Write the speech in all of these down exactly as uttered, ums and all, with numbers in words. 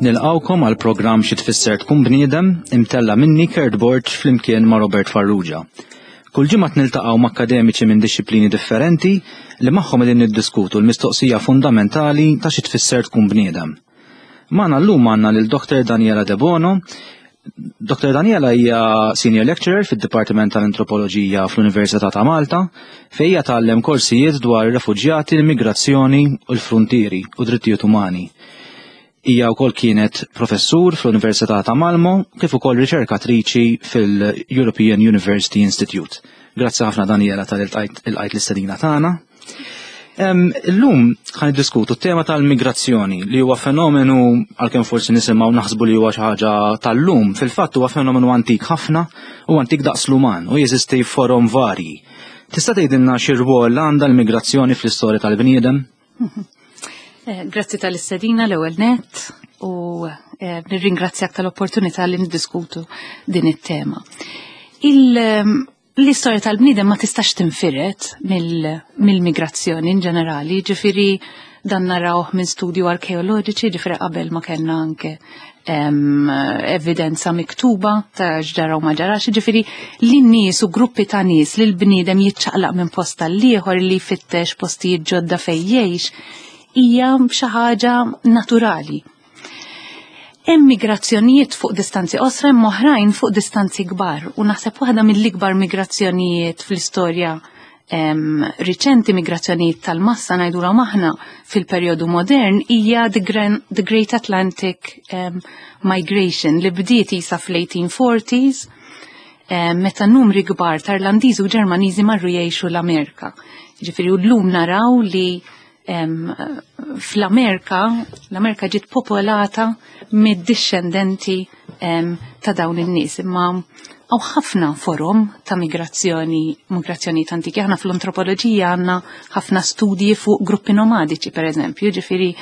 Nilqgħukom għal programm Xi Tfisser Tkun Bniedem, imtella' minni, Kurt Borg, flimkien ma' Robert Farrugia. Kull ġimgħa niltaqgħu ma' akademiċi minn disċiplini differenti li magħhom qegħdin niddiskutu l-mistoqsija fundamentali ta' xi tfisser tkun bniedem. Magħna llum għandna lil Doktor Daniela Debono. Doktor Daniela hija Senior Lecturer fid-Dipartiment tal-Antropoloġija fl-Università ta' Malta, fejn hija tgħallem korsijiet dwar ir-refuġjati, l-immigrazzjoni u l-frontieri u drittijiet umani. Hija wkoll kienet professur fl-Università ta' Malmo kif ukoll riċerkatriċi fil-European University Institute. Grazzi ħafna, Daniela, talli lqajt l-istedina tagħna. Illum ħa niddiskutu t-tema tal-migrazzjoni, li huwa fenomenu, għalkemm forsi nisimgħu naħsbu li huwa xi ħaġa tal-lum, fil-fatt huwa fenomenu antik ħafna u antik daqs l-uman u jeżisti forom varji. Tista' tgħidilna xi rwol għandha l-migrazzjoni fl-istorja tal-bniedem? Eh, grazzi tal-istedina l-ewwel net u eh, nirringrazzjak tal-opportunità li niddiskutu din it-tema. L-istorja tal-bniedem ma tistax tinfired mill-migrazzjoni in ġenerali, ġifieri dan narawh minn studju arkeoloġiċi, ġifieri qabel ma kellna anke evidenza miktuba ta' x'ġara u ma ġarax, ġifieri li nies u gruppi ta' nies, li l-bniedem jiċċaqlaq minn post għall-ieħor, li jfittex postijiet ġodda fejn jgħix, hija xi ħaġa naturali. Hemm migrazzjonijiet fuq distanzi qosra, hemm oħrajn fuq distanzi kbar, u naħseb waħda mill-ikbar migrazzjonijiet fl-istorja riċenti, migrazzjonijiet tal-massa ngħidulhom aħna fil-perjodu modern, hija the, the Great Atlantic um, Migration li bdiet isa fl-eighteen forties um, meta numri kbar ta' Irlandiżi u Ġermaniżi marru jgħixu l-Amerika. Ġifieri u llum naraw li fl-Amerika, l-Amerika ġiet popolata mid-discendenti ta' dawn in-nies, imma hawn ħafna forom ta' migrazzjoni, migrazzjoni antiki. Aħna fl-antropoloġija għandna ħafna studji fuq gruppi nomadiċi, per eżempju, ġifieri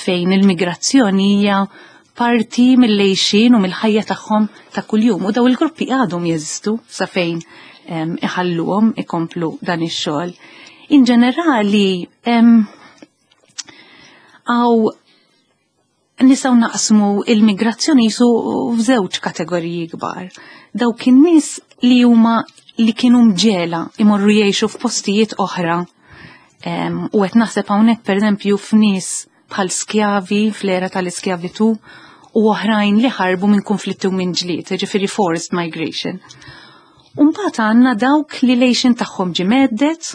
fejn il-migrazzjoni hija parti mill-għixien u mill-ħajja tagħhom ta' kuljum. U daw il-gruppi għadhom jeżistu sa fejn iħalluhom ikomplu dan ix-xogħol. In ġenerali, għaw nistgħu naqsmu il-migrazzjoni jisu f'żewġ kategoriji kbar. Dawk in-nies li huma li kienu mġiegħla imorru jgħixu f'postijiet oħra, u qed naħseb hawnhekk, pereżempju, f'nies bħal skjavi fl-era tal-iskjavitu u oħrajn li ħarbu minn konflitti u minn ġlied, ġifieri forced migration. Mbagħad għandna dawk li l-għixien tagħhom ġie mhedded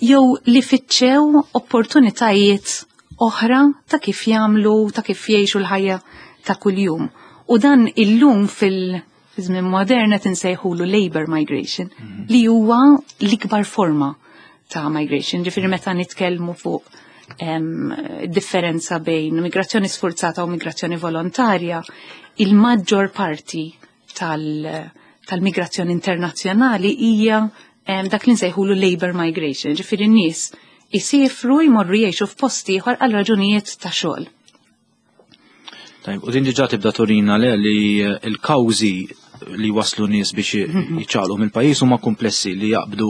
jew li fittxew opportunitajiet oħra ta' kif jagħmlu, ta' kif jgħixu l-ħajja ta' kuljum. U dan illum fil-żmien modern qed insejħulu labor migration, mhm. li huwa l-ikbar forma ta' migration. Ġifieri meta nitkellmu fuq differenza bejn migrazzjoni sforzata u migrazzjoni volontarja, il-maġġor parti tal-migrazzjoni internazzjonali hija dak li nsejħulu labor migration, ġifieri n-nies jisifru, jmorru jgħixu f'post ieħor għal raġunijiet ta' xogħol. Tajb, u din diġà tibda turina le li l-kawżi li waslu nies biex jiċċaqlqu mill-pajjiż huma komplessi, li jaqbdu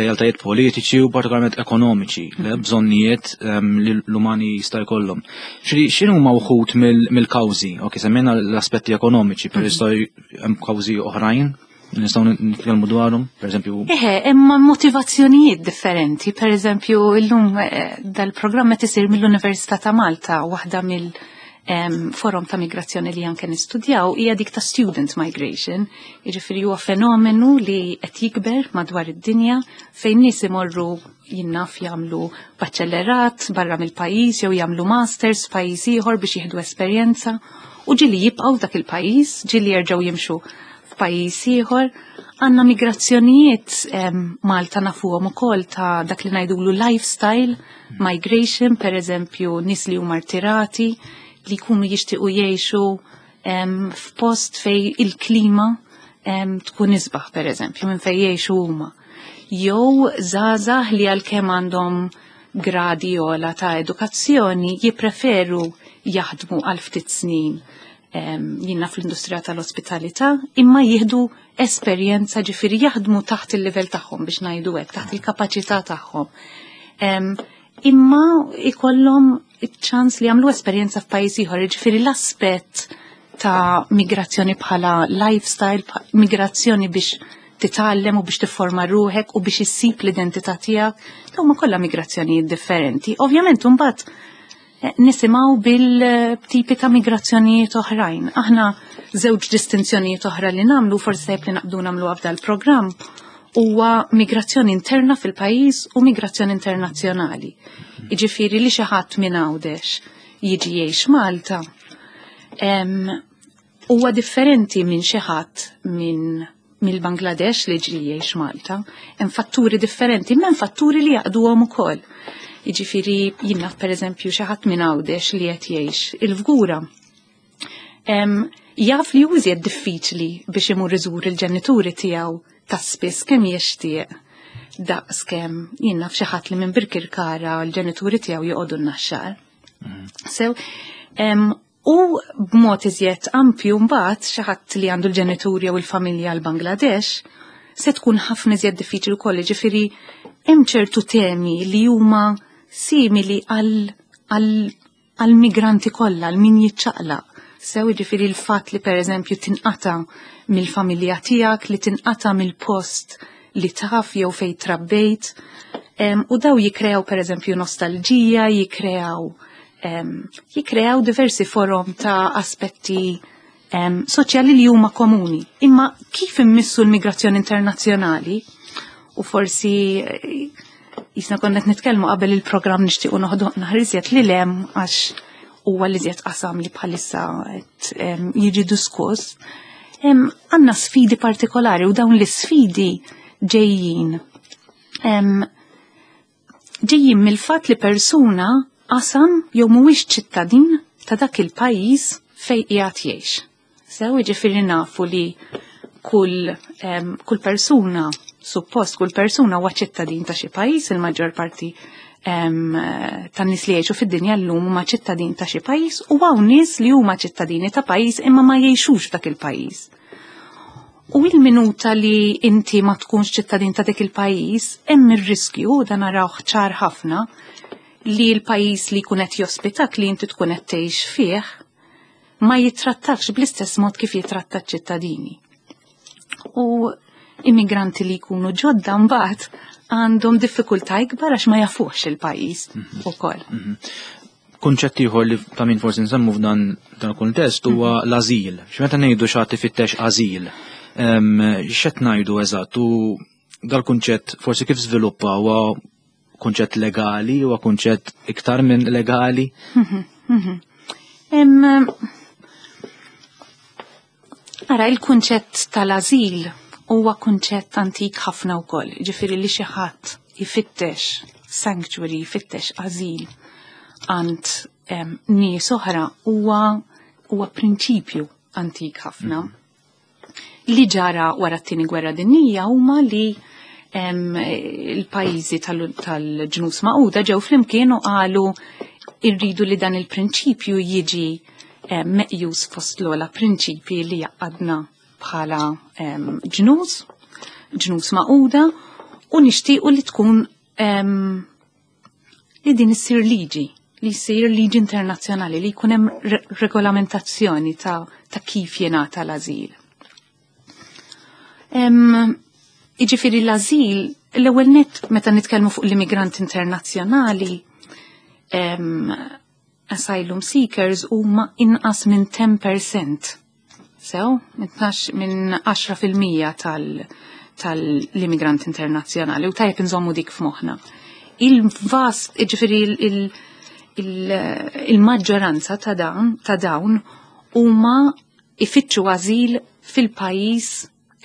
realtajiet politiċi u partikolarment ekonomiċi, li bżonnijiet ehm, li l-umani jista' jkollhom. X'inhu huma wħud mill-kawżi? Ok, semmejna l-aspetti ekonomiċi, però jista' hemm kawżi oħrajn nistgħu nitkellmu dwarhom, pereżempju? Eħe, imma motivazzjonijiet differenti. Per eżempju, illum eh, dal-programm qed isir mill-Università ta' Malta, waħda mill forom ta' migrazzjoni li anke nistudjaw hija dik ta' student migration. Jiġifieri huwa fenomenu li qed jikber madwar id-dinja, fejn nies imorru jinnaf jagħmlu baċellerat barra mill-pajjiż jew jagħmlu masters f'pajjiż ieħor biex jieħdu esperjenza, u ġieli jibqgħu dak il-pajjiż, ġieli jerġgħu jimxu f'pajjiż ieħor. Għandna migrazzjonijiet, Malta nafuhom ukoll, ta' dak li ngħidulu lifestyle migration, per eżempju nies li huma rtirati li jkunu jixtiequ jgħixu f'post fej il-klima tkun isbaħ, per eżempju, minn fej jgħixu huma. Jew żgħażagħ li għalkemm għandhom gradi ogħla ta' edukazzjoni jippreferu jaħdmu għal ftit snin jinnna fl-industrija tal-ospitalità, imma jieħdu esperjenza, ġifieri jaħdmu taħt il-livell tagħhom, biex ngħidu hekk, taħt il-kapaċità tagħhom. Imma ikollhom iċ-ċans li jagħmlu esperjenza f'pajjiż ieħor, jiġifieri l-aspett ta' migrazzjoni bħala lifestyle, migrazzjoni biex titgħallem u biex tifforma ruħek u biex issib l-identità tiegħek, dawn huma kollha migrazzjonijiet differenti. Ovvjament imbagħad eh, nisimgħu bil-tipi ta' migrazzjonijiet oħrajn. Aħna żewġ distinzjonijiet oħra li nagħmlu, forsi tajjeb li naqbdu nagħmlu f'dal programm, huwa migrazzjoni interna fil-pajjiż u migrazzjoni internazzjonali. Jiġifieri li xi ħadd minn Għawdex jiġi jgħix Malta huwa differenti minn xi ħadd minn mill-Bangladesh li ġi jgħix Malta. Hemm fatturi differenti, imma hemm fatturi li jgħaqqduhom ukoll. Jiġifieri jien naf, pereżempju, xi ħadd minn Għawdex li qed jgħix il-Fgura. Jaf li iżjed diffiċli biex imur iżur il-ġenituri tiegħu ta' spiss kemm jixtieq daqs kemm jien naf xi ħadd li minn Birkirkara l-ġenituri tiegħu joqogħdu n-Naxxar. So, u b'mod iżjed ampju mbagħad xi ħadd li għandu l-ġenituri jew il-familja l-Bangladesh se tkun ħafna iżjed diffiċli wkoll, ġifieri hemm ċertu temi li huma simili għal migranti kollha, għal min jiċċaqlaq. Sew, ġifieri l-fatt li, pereżempju, tinqata mill-familja tiegħek, li tinqata mill-post li taf jew fejn trabbejt, u daw jikreaw, pereżempju, nostalġija, jikreaw jikreaw diversi forom ta' aspetti soċjali li huma komuni. Imma kif immissu l-migrazzjoni internazzjonali, u forsi eh, jisna konna nitkellmu qabel il-programm, nixtiequ noħdu naħriżiet li lem għax huwa li żjed qasam li bħalissa qed jiġi diskuss. Għandna sfidi partikolari u dawn l-sfidi ġejjin ġejjin mill-fatt li persuna qasam jew mhuwiex ċittadin ta' dak il-pajjiż fejn qiegħed jgħix. Sew, jiġifieri nafu li kull um, kull persuna, suppost kull persuna huwa ċittadin ta' xi pajjiż, il-maġġor parti um, tan-nies li jgħixu fid-dinja llum huma ċittadin ta' xi pajjiż u hawn nies li huma ċittadini ta' pajjiż imma ma jgħixux f'dak il-pajjiż. U il-minuta li inti ma tkunx ċittadin ta' dik il-pajjiż, hemm ir-riskju, dan narawh ċar ħafna, li l-pajjiż li jkun qed jospitak, li inti tkun qed tgħix fih, ma jittrattakx bl-istess mod kif jitratta ċittadini. U immigranti li jkunu ġodda mbagħad għandhom diffikultà ikbar għax ma jafux il-pajjiż mhm. ukoll. Mhm. Kunċett ieħor li ta' min forsi nsemmu f'dan dan il-kuntest huwa mhm. l-ażil. X'meta ngħidu xi ħadd ifittex ażil, x'qed ngħidu eżatt u dal-kunċett forsi kif żviluppa? Huwa kunċett legali, huwa kunċett iktar minn legali? Em, Ara, il-kunċett tal-azil huwa kunċett antik ħafna wkoll, ġifieri li xi ħadd jfittex sanctuary, jfittex azil għand em, nies oħra huwa huwa prinċipju antik ħafna. Li ġara wara t-tieni gwerra dinjija huma li em, il-pajjiżi tal- tal-Ġnus Magħquda ġew flimkien u qalu irridu li dan il-prinċipju jiġi em, meqjus fost l-ogħla prinċipji li jgħaqqadna bħala em, ġnus, Ġnus Magħquda, u nixtiequ li tkun em, li din issir liġi, li jsir liġi internazzjonali, li jkun hemm re regolamentazzjoni ta', ta' kif jingħata l-azil. Em, Jiġifieri l-azil, l-ewwel net meta nitkellmu fuq l-immigranti internazzjonali, em, asylum seekers huma inqas minn għaxra fil-mija. Sew, minn tnax, minn għaxra fil-mija tal tal-immigranti internazzjonali u tajjeb nżommu dik f'moħħna. Il-vast, ġifieri il-maġġoranza ta' dawn ta' dawn huma ifittxu ażil fil-pajjiż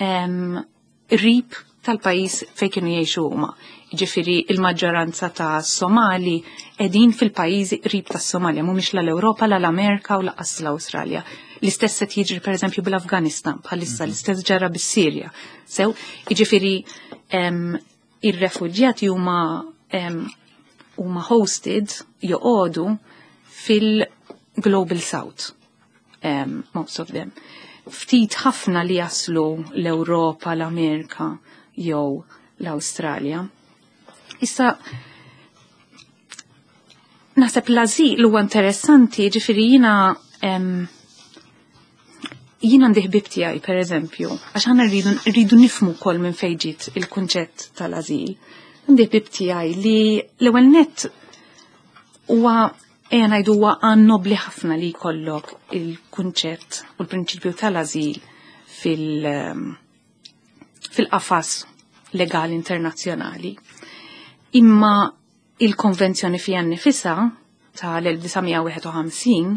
em, qrib tal-pajjiż fejn kienu jgħixu huma. Ġifieri il-maġġoranza ta' Somali qegħdin fil-pajjiżi qrib tas-Somalja, mhumiex la l-Ewropa, la l-Amerika u lanqas l-Awstralja. L-istess qed jiġri, pereżempju, bil-Afganistan bħalissa, l-istess ġara bis-Sirja. Sew, jiġifieri em, ir-refuġjati huma em, huma hosted, joqogħdu fil-Global South, um, most of them. Ftit ħafna li jaslu l-Ewropa, l-Amerika jew l-Awstralja. Issa, Naħseb l-azil huwa interessanti, ġifieri jiena em, jien għandi ħbib tiegħi, per eżempju, għax aħna rridu rridu nifhmu wkoll minn fejn ġiet il-kunċett tal-azil. Għandi ħbib tiegħi li l-ewwel nett huwa, ejja ngħidu, huwa għan nobli ħafna li jkollok il-kunċett u l-prinċipju tal-azil fil- fil-qafas legali internazzjonali. Imma il-konvenzjoni fija nnifisha tal-elf disa' mija wieħed u ħamsin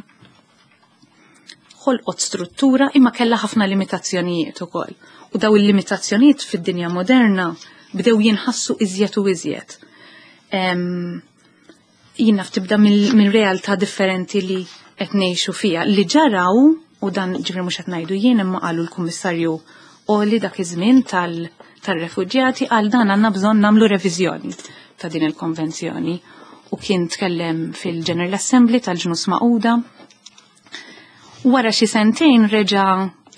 ħolqot struttura, imma kellha ħafna limitazzjonijiet ukoll. U daw il-limitazzjonijiet fid-dinja moderna bdew jinħassu iżjed u iżjed. Em, Jien naf tibda minn realtà differenti li qed ngħixu fiha. Li ġaraw, u dan ġifieri mhux qed ngħidu jien, imma qalu l-Kummissarju Għoli dak iż-żmien tal-refuġjati, għal dan għandna bżonn nagħmlu reviżjoni ta' din il-konvenzjoni, u kien tkellem fil-General Assembly tal-Ġnus Magħquda. Wara xi sentejn reġa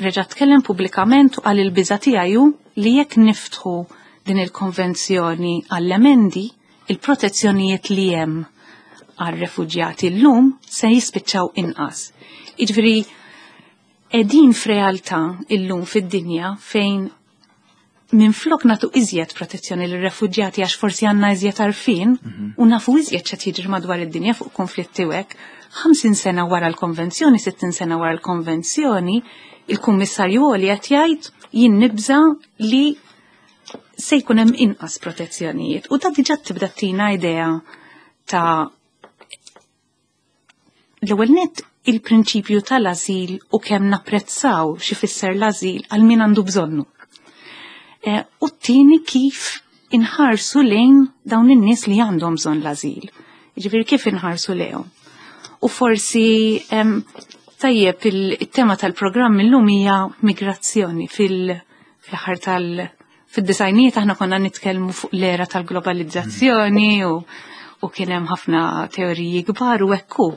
reġa tkellem pubblikament u qal il-biża tiegħu li jekk niftħu din il-konvenzjoni għall-emendi, il-protezzjonijiet li hemm għal-refuġjati llum se jispiċċaw inqas. Jiġifieri qegħdin f'realtà illum fid-dinja fejn minflok nagħtu iżjed protezzjoni lir-refuġjati, għax forsi għandna iżjed għarfien u nafu iżjed x'qed jiġri madwar id-dinja fuq konflitti u hekk, ħamsin sena wara l-konvenzjoni, sittin sena wara l-konvenzjoni, il-Kummissarju Għoli qed jgħid jien nibża li se jkun hemm inqas protezzjonijiet. U da diġà tibda tina idea ta' l-ewwel nett il-prinċipju tal-azil u kemm napprezzaw xi fisser l-azil għal min għandu bżonnu. E, u t-tieni, kif inħarsu lejn dawn in-nies li għandhom bżonn l-azil. Ġifieri kif inħarsu lejhom. U forsi em, tajjeb, il-tema tal-programm illum hija migrazzjoni. Fil-aħħar tal- fid-disgħinijiet aħna konna nitkellmu fuq l-era tal-globalizzazzjoni u, u kien hemm ħafna teoriji kbar u ekku.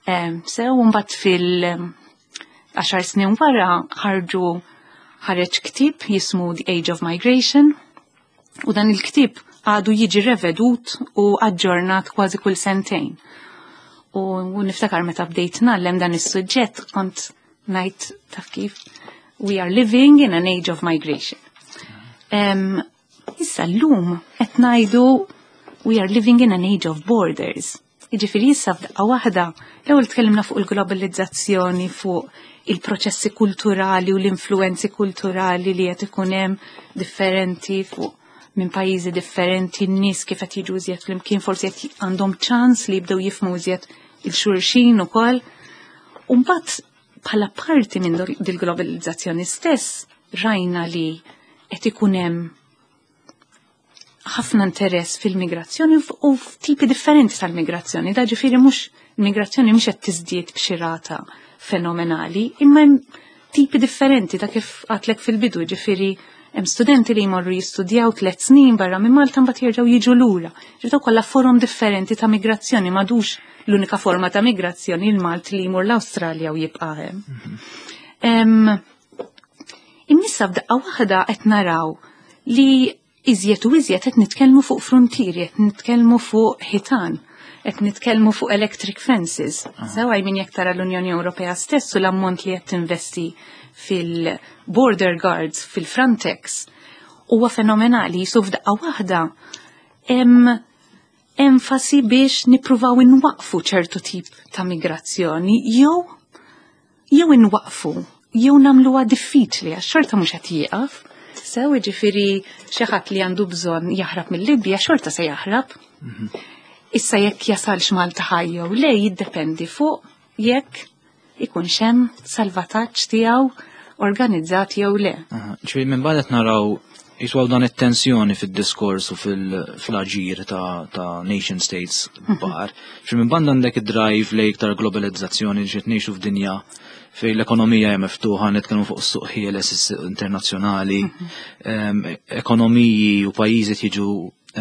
Em, Sew mbagħad fil- għaxar snin wara ħarġu ħareġ ktieb jismu The Age of Migration, u dan il-ktieb għadu jiġi revedut u aġġornat kważi kull sentejn. U, u niftakar meta bdejt ngħallem dan is-suġġett kont ngħid, taf kif, we are living in an age of migration. Um, issa llum qed ngħidu we are living in an age of borders. Jiġifieri issa f'daqqa waħda, l-ewwel tkellimna fuq il-globalizzazzjoni, fuq il-proċessi kulturali u l-influenzi kulturali li qed ikun hemm differenti fuq minn pajjiżi differenti, n-nies kif qed jiġu iżjed flimkien, forsi qed għandhom ċans li jibdew jifhmu iżjed lil xulxin ukoll. U mbagħad bħala parti minn dil-globalizzazzjoni stess rajna li qed ikun hemm ħafna interess fil-migrazzjoni u f'tipi differenti tal-migrazzjoni. Da ġifieri mhux migrazzjoni mhux qed tiżdied b'xi rata fenomenali, imma hemm tipi differenti ta' kif għedtlek fil-bidu, ġifieri hemm studenti li jmorru jistudjaw tliet snin barra minn Malta, mbagħad jerġgħu jiġu lura. Ġifieri kollha forom differenti ta' migrazzjoni, m'għadux l-unika forma ta' migrazzjoni il-Malti li jmur l-Awstralja u jibqa' hemm. Em, Imma issa f'daqqa waħda qed naraw li iżjed u iżjed qed nitkellmu fuq frontieri, qed nitkellmu fuq ħitan, qed nitkellmu fuq electric fences. Sewa jmin jekk tara l-Unjoni Ewropea stess u l-ammont li qed tinvesti fil-border guards, fil-Frontex, huwa fenomenali. Jisu f'daqqa waħda hemm enfasi biex nippruvaw inwaqfu ċertu tip ta' migrazzjoni jew jew inwaqfu jew nagħmluha diffiċli, għax xorta mhux qed jieqaf. Sew, ġifieri xi ħadd li għandu bżonn jaħrab mill-Libja xorta se jaħrab. Issa jekk jasalx Malta ħaj jew le jiddependi fuq jekk ikunx hemm salvataġġ tiegħu organizzat jew le. Ġifieri minn banda naraw jiswaw dan it-tensjoni fil-diskors u fil-aġir ta', ta nation states kbar. Ġifieri minn banda għandek id-drive lejn iktar globalizzazzjoni, ġiet ngħixu f'dinja fejn l-ekonomija hija miftuħa, nitkellmu fuq is-suq ħieles internazzjonali, em, ekonomiji u pajjiżi jiġu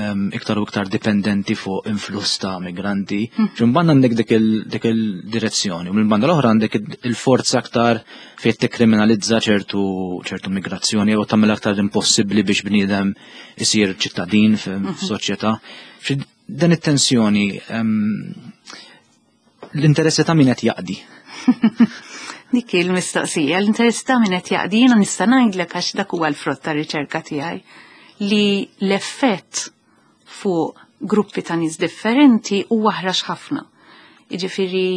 em, iktar u iktar dipendenti fuq influss ta' migranti. Ġifieri minn banda għandek dik il- dik il-direzzjoni, u minn banda l-oħra għandek il-forza aktar fejn tikkriminalizza ċertu ċertu migrazzjoni jew tagħmel aktar impossibbli biex bniedem isir ċittadin f'soċjetà. Ġifieri dan it-tensjoni em, L-interessi ta' min qed jaqdi. Dik il-mistoqsija, l-interess ta' min qed jaqdi, jiena nista' ngħidlek, għax dak huwa l-frott ta' riċerka tiegħi, li l-effett fuq gruppi ta' nies differenti huwa ħrax ħafna. Jiġifieri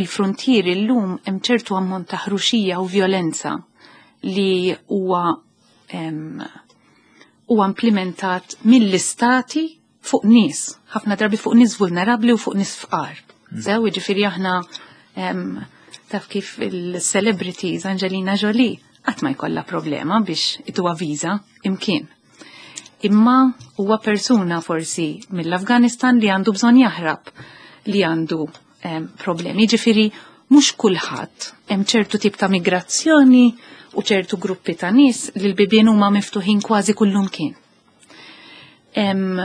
il-frontieri llum hemm ċertu ammont ta' ħruxija u violenza li huwa huwa implementat mill-istati fuq nies, ħafna drabi fuq nies vulnerabbli u fuq nies fqar. Mm. Sew, jiġifieri aħna, taf kif il-celebrities, Angelina Jolie, qatt ma jkollha problema biex ituha viża imkien. Imma huwa persuna forsi mill-Afganistan li għandu bżonn jaħrab, li għandu problemi. Ġifieri mhux kulħadd, hemm ċertu tip ta' migrazzjoni u ċertu gruppi ta' nies li l-bibien huma miftuħin kważi kullumkien. Hemm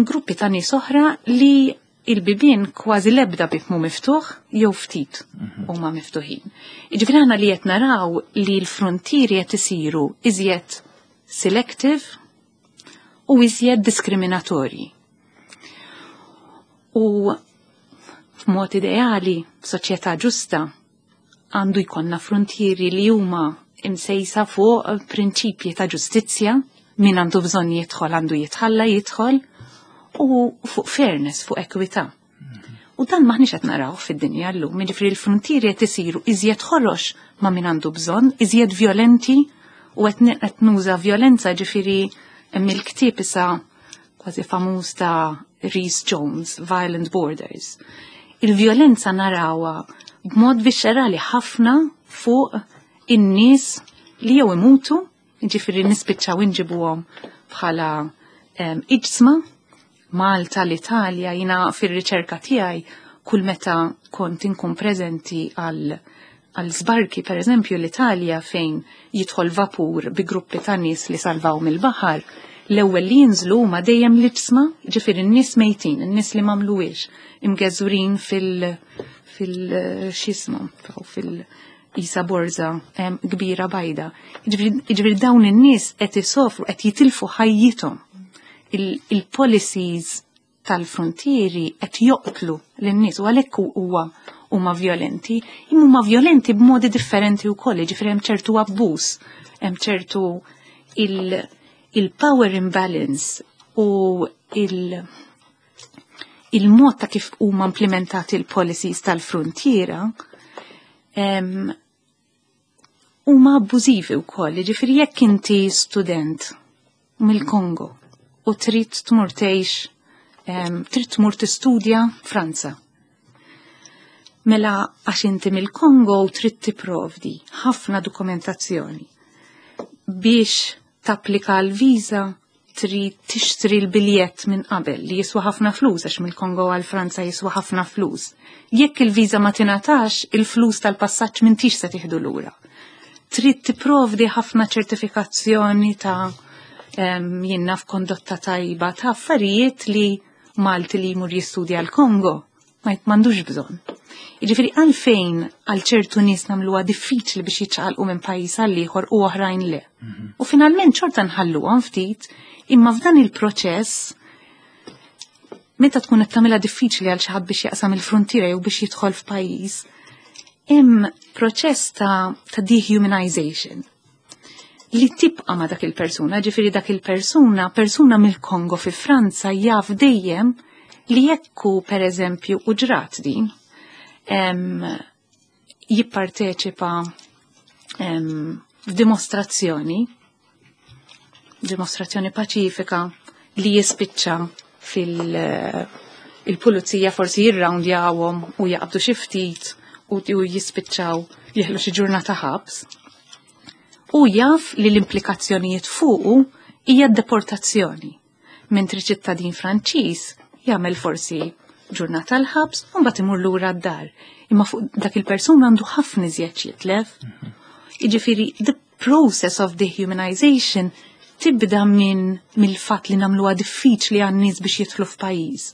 gruppi ta' nies oħra li il-bibien kważi lebda bib mu miftuħ jew ftit mhm. huma miftuħin. Jiġifieri aħna li qed naraw li l-frontieri qed isiru iżjed selective u iżjed diskriminatorji. U f'mod ideali, f'soċjetà ġusta, għandu jkollna frontieri li huma imsejsa fuq prinċipji ta' ġustizzja, min għandu bżonn jidħol għandu jitħalla jidħol, u fuq fairness, fuq ekwità. U dan maħniex qed naraw fid-dinja llum, jiġifieri l-frontieri qed isiru iżjed ħorox ma' min għandu bżonn, iżjed violenti, u qed nuża violenza, ġifieri hemm il-ktieb issa kważi famuż ta' Rhys Jones, Violent Borders. Il-violenza narawha b'mod viscerali ħafna fuq in-nies li jew imutu, ġifieri nispiċċaw inġibuhom bħala iġsma. Malta, l-Italja, jina fil-riċerka tiegħi kull meta kont inkun preżenti għal għal sbarki, per eżempju l-Italja, fejn jidħol vapur bi gruppi ta' nies li salvaw mill-baħar, l-ewwel li jinżlu huma dejjem l-iġsma, ġifieri n-nies mejtin, n-nies li m'għamluhiex, imgeżurin fil fil x'jismu, fil isa borza kbira bajda. Ġifieri dawn in-nies qed isofru, qed jitilfu ħajjithom. Il-policies tal-frontieri qed joqtlu lin-nies u għalhekk huwa huma violenti, imma huma violenti b'modi differenti wkoll, ġifieri hemm ċertu abbuż, hemm ċertu il-power imbalance u il- il-mod ta' kif huma implementati l-policies tal-frontiera huma abbużivi wkoll, ġifieri jekk inti student mill-Kongo u trid tmur tgħix, trid tmur tistudja Franza. Mela għax inti mill-Kongo u trid tipprovdi ħafna dokumentazzjoni biex tapplika l-viża, trid tixtri l-biljett minn qabel li jiswa ħafna flus, għax mill-Kongo għal Franza jiswa ħafna flus. Jekk il-viża ma tingħatax, il-flus tal-passaġġ m'intix se tieħdu lura. Trid tipprovdi ħafna ċertifikazzjoni ta' jiena f'kondotta tajba, ta' affarijiet li Malti li jmur jistudja l-Kongo ma m'għandux bżonn. Jiġifieri għalfejn għal ċertu nies nagħmluha diffiċli biex jiċċaqalqu minn pajjiż għal ieħor u oħrajn le? Mhm. U finalment xorta nħalluhom ftit, imma f'dan il-proċess, meta tkun qed tagħmilha diffiċli għal xi ħadd biex jaqsam il-frontiera jew biex jidħol f'pajjiż, hemm proċess ta', ta dehumanization li tibqa' ma' dak il-persuna, ġifieri dak il-persuna, persuna mill-Kongo fi Franza, jaf dejjem li jekku per eżempju u ġrat din, em, jipparteċipa em, f'dimostrazzjoni, dimostrazzjoni paċifika li jispiċċa fil- il-pulizija forsi jirrawndjawhom u jaqbdu xi ftit u u jispiċċaw jeħlu xi ġurnata ħabs. U jaf li l-implikazzjonijiet fuqu hija deportazzjoni. Mentri ċittadin Franċiż jagħmel forsi ġurnata l-ħabs u mbagħad imur lura d-dar. Imma fuq dak il-persuna għandu ħafna iżjed jitlef. Jiġifieri the process of dehumanization tibda minn mill-fatt li nagħmluha diffiċli għan-nies biex jidħlu f'pajjiż.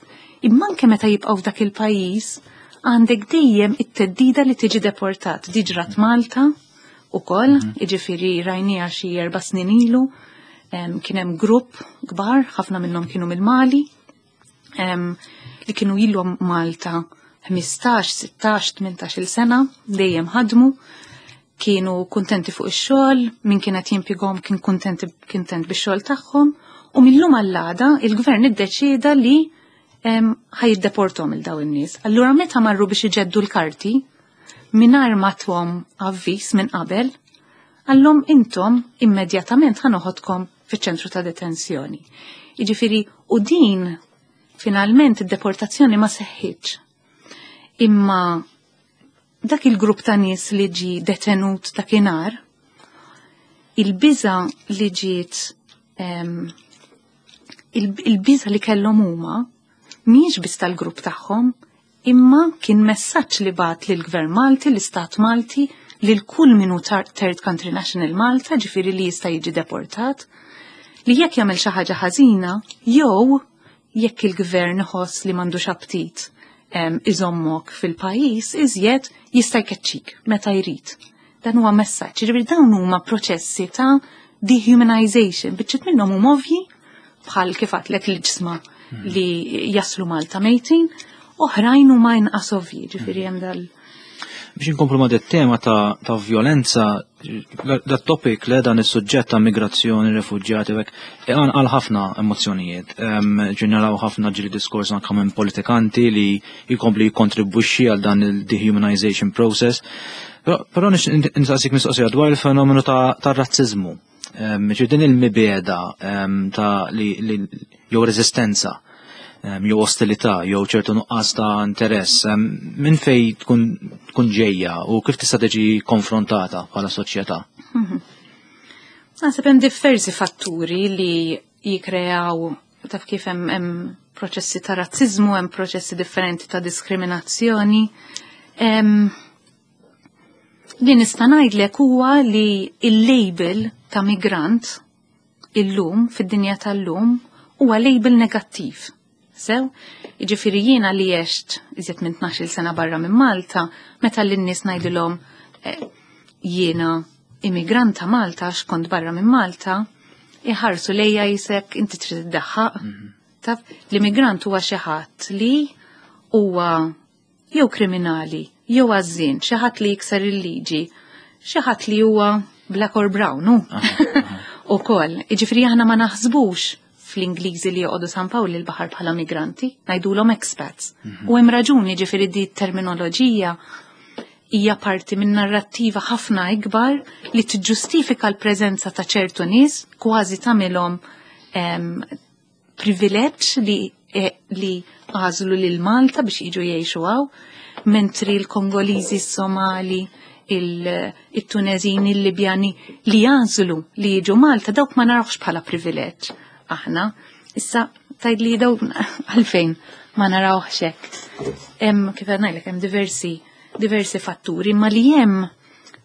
Imma anke meta jibqgħu f'dak il-pajjiż, għandek dejjem it-theddida li tiġi deportat. Din ġrat Malta ukoll, jiġifieri rajniha xi erba' snin ilu, em, kien hemm grupp kbar, ħafna minnhom kienu mill-Mali, em, li kienu ilhom Malta ħmistax, sittax, tmintax-il sena, dejjem ħadmu, kienu kuntenti fuq ix-xogħol, min kienet jimpjegahom kien kuntenti kuntent bix-xogħol tagħhom, u millum għall-għada il-gvern iddeċieda li ħa jiddeportahom lil daw in-nies. Allura meta marru biex iġeddu l-karti, mingħajr ma tahom avviż minn qabel, qalilhom intom immedjatament ħa noħodkom fiċ-ċentru ta' detenzjoni. Jiġifieri, u din finalment id-deportazzjoni ma seħħitx. Imma dak il-grupp ta' nies li ġi detenut dakinhar, il-biża li ġiet il-biża li kellhom huma mhijiex biss tal-grupp tagħhom, imma kien messaġġ li bagħat lill-Gvern Malti, l-Istat Malti, lil kull min hu third country national Malta, ġifieri li jista' jiġi deportat, li jekk jagħmel xi ħaġa ħażina, jew jekk il-gvern iħoss li m'għandux aptit iżommok fil-pajjiż, iżjed jista' jkeċċik meta jrid. Dan huwa messaġġ, ġifieri dawn huma proċessi ta' dehumanization, biċċiet minnhom huma ovvji bħal kif għedtlek l-iġsma li jaslu Malta mejtin, oħrajn huma inqas ovvji, ġifieri hemm dal. Biex inkomplu ma' tema ta', ta' violenza, dat topic le dan is-suġġett ta' migrazzjoni, refuġjati, u hekk, għal ħafna emozzjonijiet. Ġeneraw ħafna ġiri diskors anke minn politikanti li jkompli jikkontribwixxi għal dan il-dehumanization process. Però nistaqsik mistoqsija dwar il-fenomenu ta', ta razzizmu. Ġi din il-mibegħda ta' li, li jew reżistenza jew ostilità jew ċertu nuqqas ta' interess, minn fej tkun tkun ġejja u kif tista' tiġi konfrontata bħala soċjetà? Mhm. Naħseb hemm diversi fatturi li jikreaw, taf kif, hemm hemm proċessi ta' razzizmu, hemm proċessi differenti ta' diskriminazzjoni. Em, Li nista' ngħidlek huwa li il-label ta' migrant illum, fid-dinja tal-lum, huwa label negattiv. Sew, jiġifieri jiena li għext iżjed minn tnax-il sena barra minn Malta, meta lin-nies ngħidilhom eh, jiena immigranta Malta għax kont barra minn Malta, iħarsu lejja qisek inti trid iddaħħaq. Taf, l-immigrant huwa xi ħadd li huwa jew kriminali, jew għażżien, xi ħadd li jikser il-liġi, xi ħadd li huwa black or brown, hu. Ukoll, jiġifieri aħna ma naħsbux fl-Ingliżi li joqogħdu San Pawl il-Baħar bħala migranti, ngħidulhom expats. U hemm raġuni, ġifieri di terminoloġija hija parti minn narrattiva ħafna ikbar li tiġġustifika l-preżenza ta' ċertu nies, kważi tagħmilhom em, privileġġ li, eh, li għażlu lil Malta biex jiġu jgħixu hawn, mentri l-Kongoliżi, s-Somali, il-Tunezini, il-Libjani li jagħżlu li jiġu Malta, dawk ma narawx bħala privileġġ. Aħna, issa tgħid li daw għalfejn ma narawx hekk. Hemm, kif ngħidlek, hemm diversi diversi fatturi, ma li hemm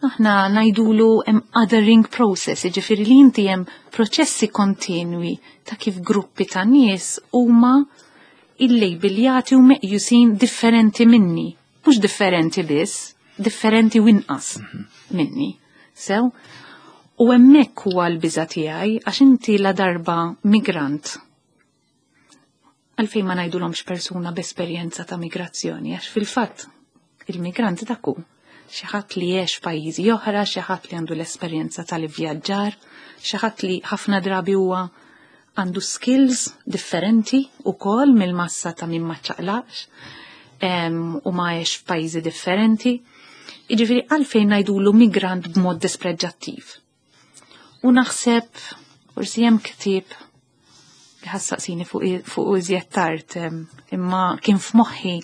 aħna ngħidulu hemm othering process, jiġifieri li inti hemm proċessi kontinwi ta' kif gruppi ta' nies huma illejbiljati u meqjusin differenti minni. Mhux differenti biss, differenti u inqas minni. Sew, u hemmhekk huwa l-biża' tiegħi għax inti la darba migrant, għalfejn ma ngħidulhomx persuna b'esperjenza ta' migrazzjoni, għax fil-fatt il-migranti dak hu xi ħadd li għex f'pajjiżi oħra, xi ħadd li għandu l-esperjenza tal-ivvjaġġar, xi ħadd li ħafna drabi huwa għandu skills differenti ukoll mill-massa ta' min ma ċaqlaqx u ma għex f'pajjiżi differenti. Jiġifieri għalfejn ngħidulu migrant b'mod dispreġġattiv? U naħseb forsi hemm ktieb li ħa ssaqsini fuq fuq iżjed tard, imma kien f'moħħi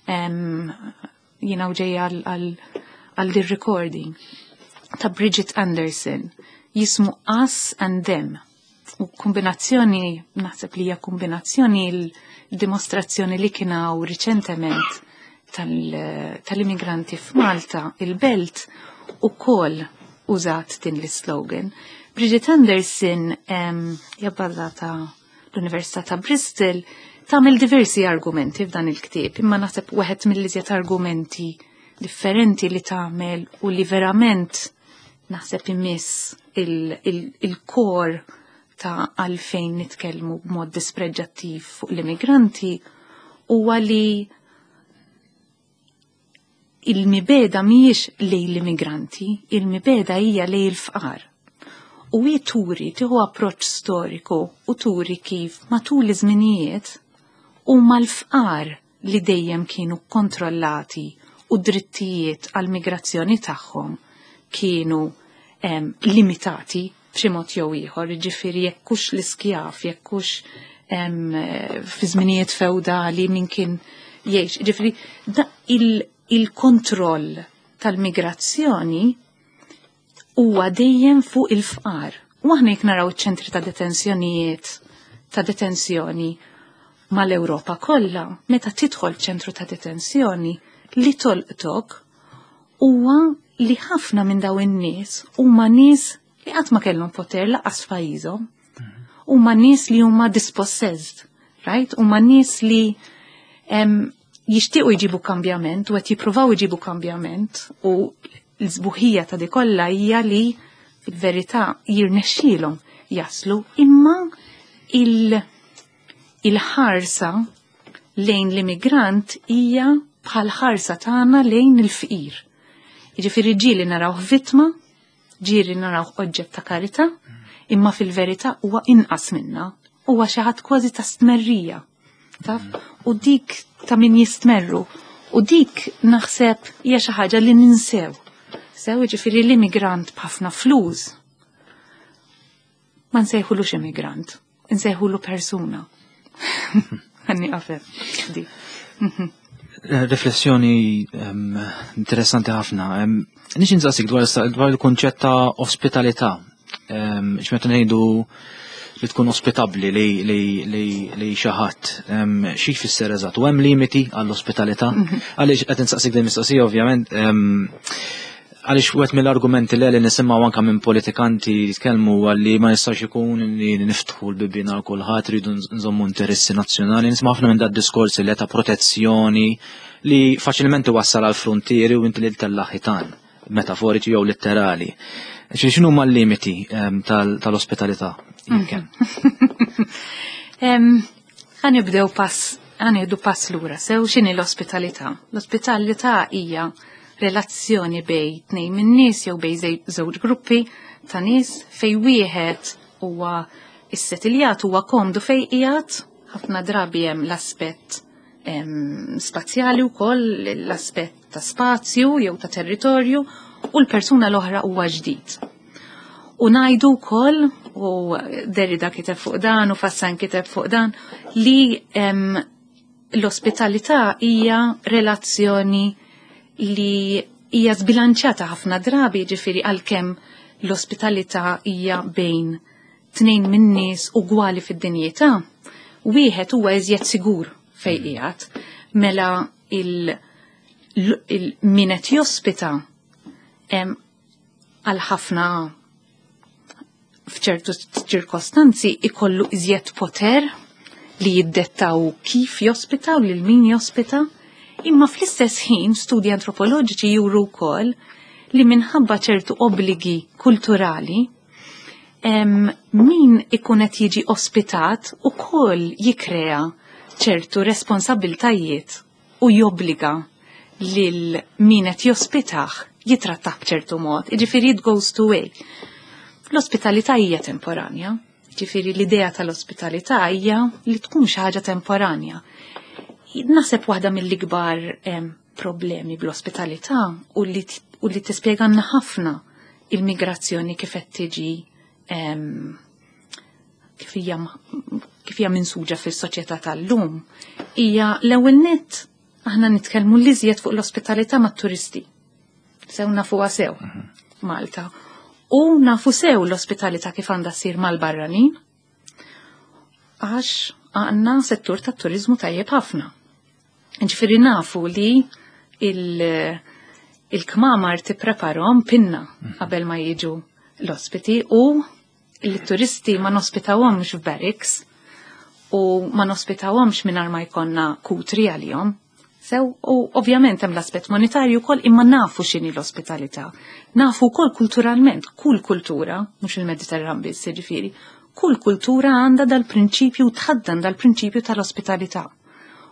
jiena u ġejja għal recording ta' Bridget Anderson jismu Us and Them. U kombinazzjoni, naħseb li hija kombinazzjoni l-dimostrazzjoni li kien hawn riċentement tal-immigranti f'Malta, il-Belt, ukoll użat din l-slogan. Bridget Anderson hija bbażata l-Università ta' Bristol, tagħmel diversi argumenti f'dan il-ktieb, imma naħseb wieħed mill-iżjed argumenti differenti li tagħmel u li verament naħseb imiss il-core ta' għalfejn nitkellmu b'mod dispreġġattiv fuq l-immigranti huwa li il-mibegħda mhijiex lejn l-immigranti, il-mibegħda hija lejn il-fqar. U hi turi tieħu approċċ storiku u turi kif matul iż-żminijiet huma l-fqar li dejjem kienu kontrollati u drittijiet għal-migrazzjoni tagħhom kienu em, limitati b'xi mod jew ieħor, jiġifieri jekk hux l-iskjav, jekk hux fi żminijiet feudali min kien jgħix. Jiġifieri il-kontroll tal-migrazzjoni huwa dejjem fuq il-fqar. U aħna jekk naraw iċ-ċentri ta' detenzjonijiet ta' detenzjoni mal-Ewropa kollha, meta tidħol ċentru ta' detenzjoni li tolqtok huwa li ħafna minn daw in-nies huma nies li qatt ma kellhom poter lanqas f'pajjiżhom. Huma nies li huma dispossessed, right? Huma nies li jixtiequ jġibu kambjament u qed jippruvaw jġibu kambjament u l-sbuħija ta' di kollha hija li fil-verità jirnexxielhom jaslu imma il- il-ħarsa lejn l-immigrant hija bħal ħarsa tagħna lejn il-fqir. Jiġifieri ġieli narawh vittma, ġieli narawh oġġett ta' karità, imma fil-verità huwa inqas minna, huwa xi ħadd kważi ta' stmerrija. Taf? U dik ta' min jistmerru. U dik naħseb hija xi ħaġa li ninsew. Sew jiġifieri l-immigrant b'ħafna flus. Ma nsejħulux immigrant, nsejħulu persuna. Ħanni qafem. Di. Riflessjoni interessanti ħafna. Nixtieq insaqsik dwar dwar il-kunċett ta' ospitalità. X'meta ngħidu li tkun ospitabbli li li li li xi ħadd xi jfisser eżatt u hemm limiti għall-ospitalità. Għaliex qed insaqsik din mistoqsija ovvjament għaliex wieħed mill-argumenti li li nisimgħu anke minn politikanti jitkellmu għalli ma jistax ikun li niftħu l-bibien għal kulħadd rridu nżommu interessi nazzjonali. Nisma' ħafna minn dat diskorsi li ta' protezzjoni li faċilment iwassal għal frontieri u inti li tella' ħitan metaforiċi jew litterali. X'inhu huma l-limiti tal-ospitalità? Ħa nibdew pass, ħa nieħdu pass lura, sew x'inhi l-ospitalità? L-ospitalità hija relazzjoni bejn tnejn minn nies jew bejn żewġ gruppi ta' nies fej wieħed huwa issettiljat huwa komdu fej qiegħed, ħafna drabi hemm l-aspett spazjali wkoll, l-aspett ta' spazju jew ta' territorju u l-persuna l-oħra huwa ġdid. U ngħidu wkoll, u Derrida kiteb fuq dan u Fassin kiteb fuq dan, li l-ospitalità hija relazzjoni li hija zbilanċata ħafna drabi, ġifieri għalkemm l-ospitalità hija bejn tnejn minn nies ugwali fid-dinjità, wieħed huwa iżjed sigur fejn qiegħed, mela il, il min qed jospita għal ħafna f'ċertu ċirkostanzi ikollu iżjed poter li jiddettaw kif jospita u lil min jospita, imma fl-istess ħin studji antropoloġiċi juru wkoll li minħabba ċertu obbligi kulturali em, min ikun qed jiġi ospitat ukoll jikrea ċertu responsabiltajiet u jobbliga lil min qed jospitah jitrattah b'ċertu mod. Jiġifieri it goes two way. L-ospitalità hija temporanja. Ġifieri l-idea tal-ospitalità hija li tkun xi ħaġa temporanja. Naħseb waħda mill-ikbar problemi bl-ospitalità u li, u li tispjeganna ħafna il-migrazzjoni kif qed tiġi kif hija kif hija minsuġa fis-soċjetà tal-lum hija l-ewwel nett aħna nitkellmu l-iżjed fuq l-ospitalità mat-turisti. Sew nafuha sew Malta. U nafu sew l-ospitalità kif għandha ssir mal-barranin għax għandna settur tat-turizmu tajjeb ħafna. Ġifieri nafu li il-kmamar tippreparhom pinna qabel ma jiġu l-ospiti u l-turisti ma nospitawhomx f'barracks u ma nospitawhomx mingħajr ma jkollna kutri għalihom. Sew, u ovvjament hemm l-aspett monetarju wkoll imma nafu x'inhi l-ospitalità. Nafu wkoll kulturalment, kull kultura, mhux il-Mediterran biss, jiġifieri, kull kultura għandha dal-prinċipju tħaddan dal-prinċipju tal-ospitalità.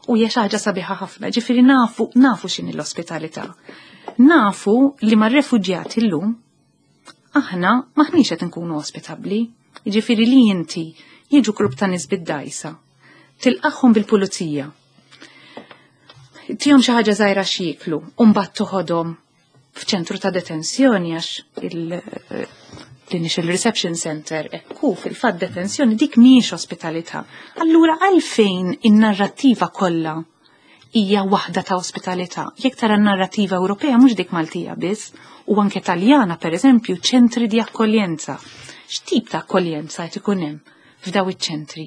U hija xi ħaġa sabiħa ħafna, ġifieri nafu nafu x'inhi l-ospitalità. Nafu li mar-refuġjati llum aħna maħniex qed nkunu ospitabbli. Jiġifieri li inti jiġu grupp ta' nies bid-dgħajsa, tilqagħhom bil-pulizija. Tihom xi ħaġa żgħira x'jieklu u mbagħad toħodhom f'ċentru ta' detenzjoni, għax il- l-initial reception center ekku fil-fatt detenzjoni, dik mhijiex ospitalità. Allura għalfejn in-narrattiva kollha hija waħda ta' ospitalità? Jekk tara n-narrativa Ewropea, mhux dik Maltija biss, u anke Taljana pereżempju, ċentri di akkoljenza. X'tip ta' akkoljenza qed ikun hemm f'daw iċ-ċentri?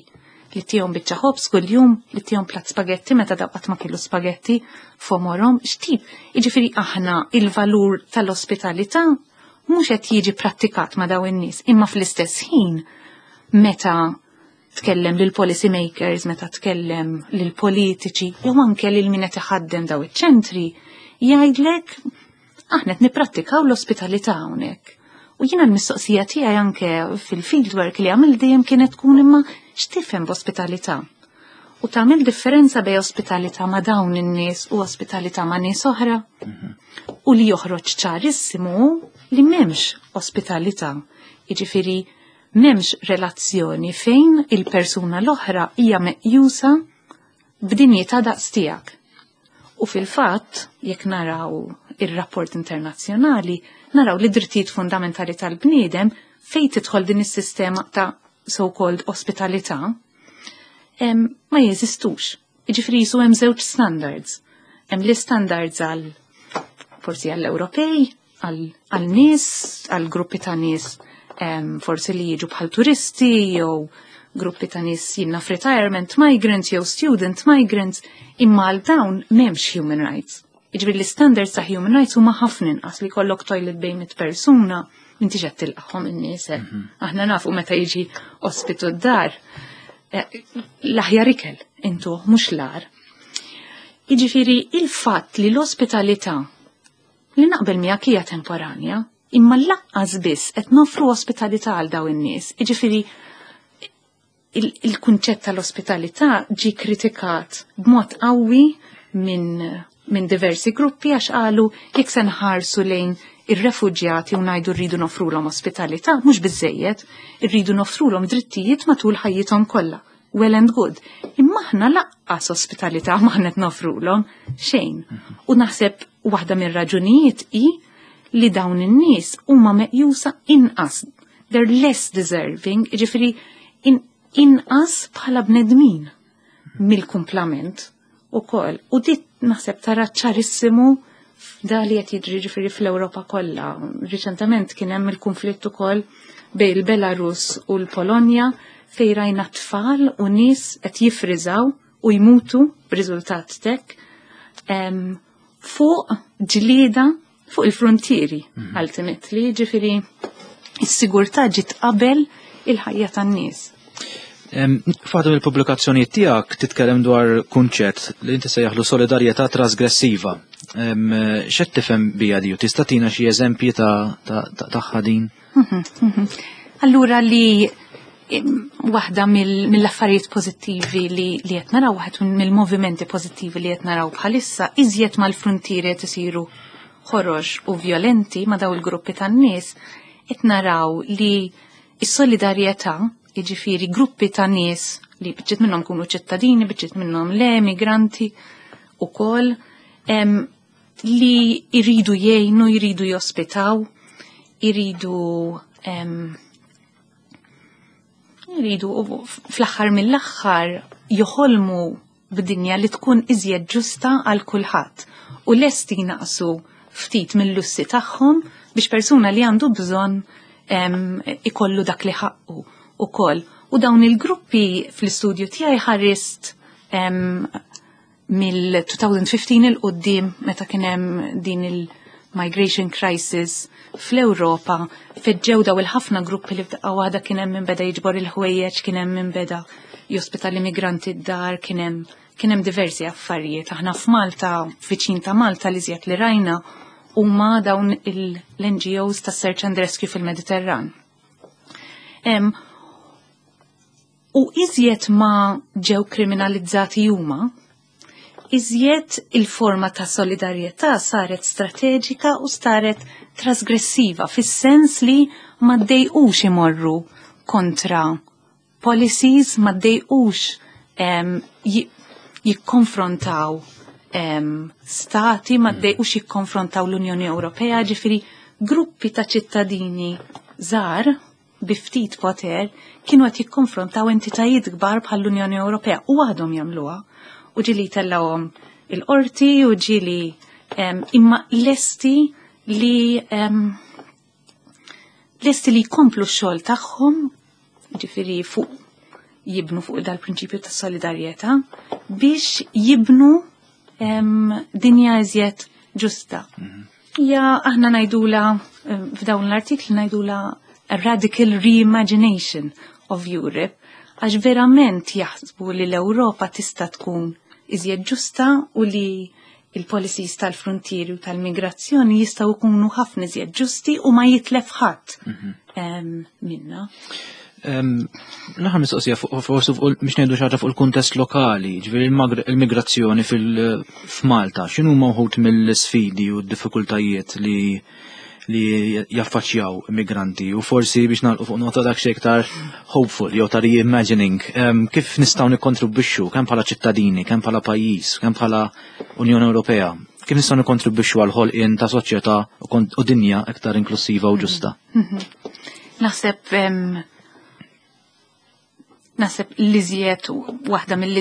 Li ttihom biċċa ħobż kuljum, li ttihom platt spagetti meta daw qatt ma kielu spagetti f'għomorhom, x'tip? Jiġifieri aħna il-valur tal-ospitalità mhux qed jiġi prattikat ma' daw in-nies, imma fl-istess ħin meta tkellem lil policy makers, meta tkellem lil politiċi, jew anke lil min qed iħaddem daw iċ-ċentri, jgħidlek: "Aħna qed nipprattikaw l-ospitalità hawnhekk." U jiena l-mistoqsija tiegħi anke fil-fieldwork li għamil dejjem kienet tkun: imma x'tifhem b'ospitalità? U tagħmel differenza bejn ospitalità ma' dawn in-nies u ospitalità ma' nies oħra? U li joħroġ ċarissimu li m'hemmx ospitalità. Jiġifieri m'hemmx relazzjoni fejn il-persuna l-oħra hija meqjusa b'dinjità daqs tiegħek. U fil-fatt, jekk naraw ir-rapport internazzjonali, naraw li drittijiet fundamentali tal-bniedem fejn tidħol din is-sistema ta' so-called ospitalità em, ma jeżistux. Jiġifieri jisu hemm żewġ standards. Hemm li standards għal forsi għall-Ewropej, għal nies, għal gruppi ta' nies em, forsi li jiġu bħal turisti jew gruppi ta' nies jinna retirement migrants jew student migrants, imma għal dawn m'hemmx human rights. Jiġifieri l-standards ta' human rights huma ħafna inqas, li jkollok toilet bejn mitt persuna, inti qed tilqagħhom in-nies. eh. Aħna nafu meta jiġi ospitu d-dar, eh, l-aħjar ikel intu mhux l-agħar. Jiġifieri il-fatt li l-ospitalità li naqbel miegħek hija temporanja, imma lanqas biss qed nofru ospitalità għal daw in-nies. Jiġifieri il-kunċett tal-ospitalità ġi kritikat b'mod qawwi minn min diversi gruppi, għax qalu jekk se nħarsu lejn ir-refuġjati u ngħidu rridu nofrulhom ospitalità, mhux biżejjed, irridu nofrulhom drittijiet matul ħajjithom kollha. Well and good. Imma aħna lanqas ospitalità ma qed nofrulhom xejn. U naħseb waħda mir-raġunijiet hi li dawn in-nies huma meqjusa inqas. They're less deserving, ġifieri in, inqas bħala bnedmin mill-kumplament ukoll. U dit naħseb tara ċarissimu da li qed jiġri ġifieri fl-Ewropa kollha. Riċentement kien hemm il-konflitt ukoll bejn il-Belarus u l-Polonja, fejn rajna tfal u nies qed jifriżaw u jmutu b'riżultat tek em, fuq ġlieda fuq il-frontieri ultimately, ġifieri is-sigurtà ġiet qabel il-ħajja tan-nies. F'waħda mill-pubblikazzjonijiet tiegħek titkellem dwar kunċett li inti sejjaħlu solidarjetà trasgressiva. Em, X'qed tifhem biha di u tista' tina xi eżempji ta' ta- ta- tagħha din? Allura li im, waħda mill- mill-affarijiet pożittivi li li qed naraw, waħed mill-movimenti pożittivi li qed naraw bħalissa, iżjed mal-frontieri qed isiru ħorox u violenti ma' daw il-gruppi tan-nies, qed naraw li s-solidarjetà, jiġifieri gruppi ta' nies li biċċiet minnhom kunu ċittadini, biċċiet minnhom le, migranti ukoll, em, li jridu jgħinu, jridu jospitaw, jridu em, jridu u fl-aħħar mill-aħħar joħolmu b'dinja li tkun iżjed ġusta għal kulħadd u lesti jnaqsu ftit mill-lussi tagħhom biex persuna li għandu bżonn em, ikollu dak li ħaqqu ukoll. U dawn il-gruppi fl-istudju tiegħi ħarist em, mill-elfejn u ħmistax 'il quddiem, meta kien hemm din il-migration crisis fl-Ewropa, feġġew daw il-ħafna gruppi li f'daqqa waħda kien hemm min beda jiġbor il-ħwejjeġ, kien hemm min beda jospita l-immigranti d-dar, kien hemm kien hemm diversi affarijiet. Aħna f'Malta, viċin ta' Malta, li żjed li rajna huma dawn l-N G Os ta' Search and Rescue fil-Mediterran. Em, u iżjed ma ġew kriminalizzati huma, Iżjed il-forma ta' solidarjetà saret strateġika u saret trasgressiva, fis-sens li ma ddejqux imorru kontra policies, ma ddejqux jikkonfrontaw stati, ma ddejqux jikkonfrontaw l-Unjoni Ewropea, ġifieri gruppi ta' ċittadini żgħar bi ftit poter kienu qed jikkonfrontaw entitajiet kbar bħall-Unjoni Ewropea u għadhom jagħmluha. U ġieli tellgħuhom il-qorti u ġieli imma lesti li lesti li jkomplu x-xogħol tagħhom, ġifieri fuq jibnu fuq dal-prinċipju ta' solidarjetà biex jibnu dinja iżjed ġusta. Ja aħna ngħidula f'dawn l-artikli ngħidula a radical reimagination of Europe, għax verament jaħsbu li l-Ewropa tista' tkun iżjed ġusta u li il-policies tal-frontieri u tal-migrazzjoni jistgħu jkunu ħafna iżjed ġusti u ma jitlef ħadd minna. L-aħħar mistoqsija forsi biex ngħidu xi ħaġa fuq il-kuntest lokali, ġifieri il-migrazzjoni f'Malta, x'inhu wħud mill-sfidi u d-diffikultajiet li li jaffaċċjaw immigranti u forsi biex nagħlqu fuq nota dak xi iktar hopeful jew ta' reimagining, kif nistgħu nikkontribwixxu kemm bħala ċittadini, kemm bħala pajjiż, kemm bħala Unjoni Ewropea, kif nistgħu nikkontribwixxu għal ħolqien ta' soċjetà u dinja iktar inklusiva u ġusta. Naħseb naħseb l-iżjed waħda mill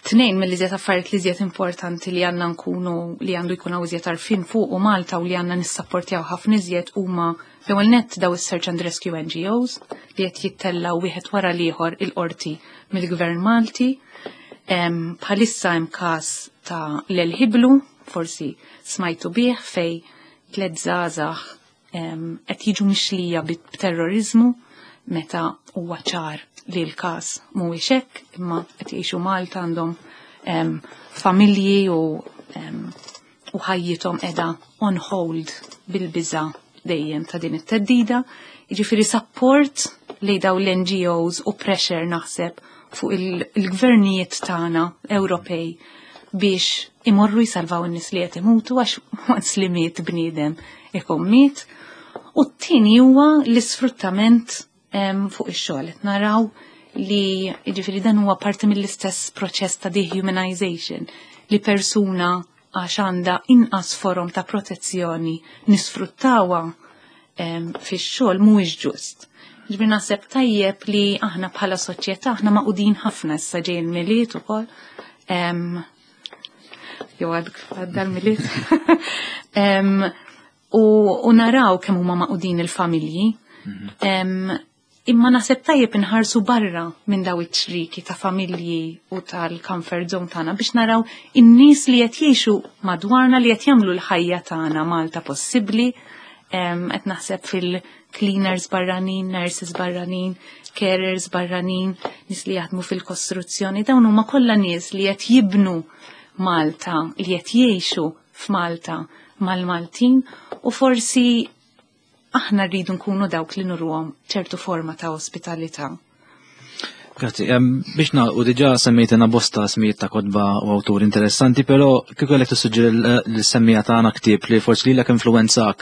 tnejn mill-iżjed affarijiet li importanti li għandna nkunu li għandu jkun hawn iżjed għarfien fuq u Malta u li għandna nissapportjaw ħafna iżjed huma l-ewwel nett daw is-Search and Rescue N G Os li qed jittellgħu wieħed wara l-ieħor il-qorti mill-Gvern Malti. Bħalissa hemm każ ta' l-Ħiblu, forsi smajtu bih, fej tliet żgħażagħ qed jiġu mixlija b'terrorizmu meta huwa ċar li l-każ mhuwiex hekk, imma qed jgħixu Malta għandhom familji u, u ħajjithom qiegħda on hold bil-biża' dejjem ta' din it-teddida. Jiġifieri support li daw l-N G Os u pressure naħseb fuq il-gvernijiet tagħna Ewropej biex imorru jsalvaw in-nies li qed imutu għax once li miet bniedem ikun miet. U t-tieni huwa l-isfruttament fuq ix-xogħol. Qed naraw li jiġifieri dan huwa parti mill-istess proċess ta' dehumanization li persuna għax għandha inqas forom ta' protezzjoni nisfruttawha fix-xogħol mhuwiex ġust. Ġifieri naħseb tajjeb li aħna bħala soċjetà aħna maqudin ħafna issa ġej il-Milied ukoll. Jew għadda l-Milied. U, u naraw kemm huma maqudin il-familji. Mhm. Imma naħseb tajjeb inħarsu barra minn daw iċ-ċriki ta' familji u tal-comfort zone tagħna biex naraw in-nies li qed jgħixu madwarna li qed jagħmlu l-ħajja tagħna Malta possibbli. Qed naħseb fil-cleaners barranin, nurses barranin, carers barranin, nies li jaħdmu fil-kostruzzjoni, dawn huma kollha nies li qed jibnu Malta, li qed jgħixu f'Malta mal-Maltin u forsi aħna rridu nkunu dawk li nurruhom ċertu forma ta' ospitalità. Grazzi. Biex nagħlqu diġà semmejtina bosta smijiet ta' kotba u awturi interessanti, però kieku kellek tissuġġeri l-semmija tagħna ktieb li forsi lilek influwenzak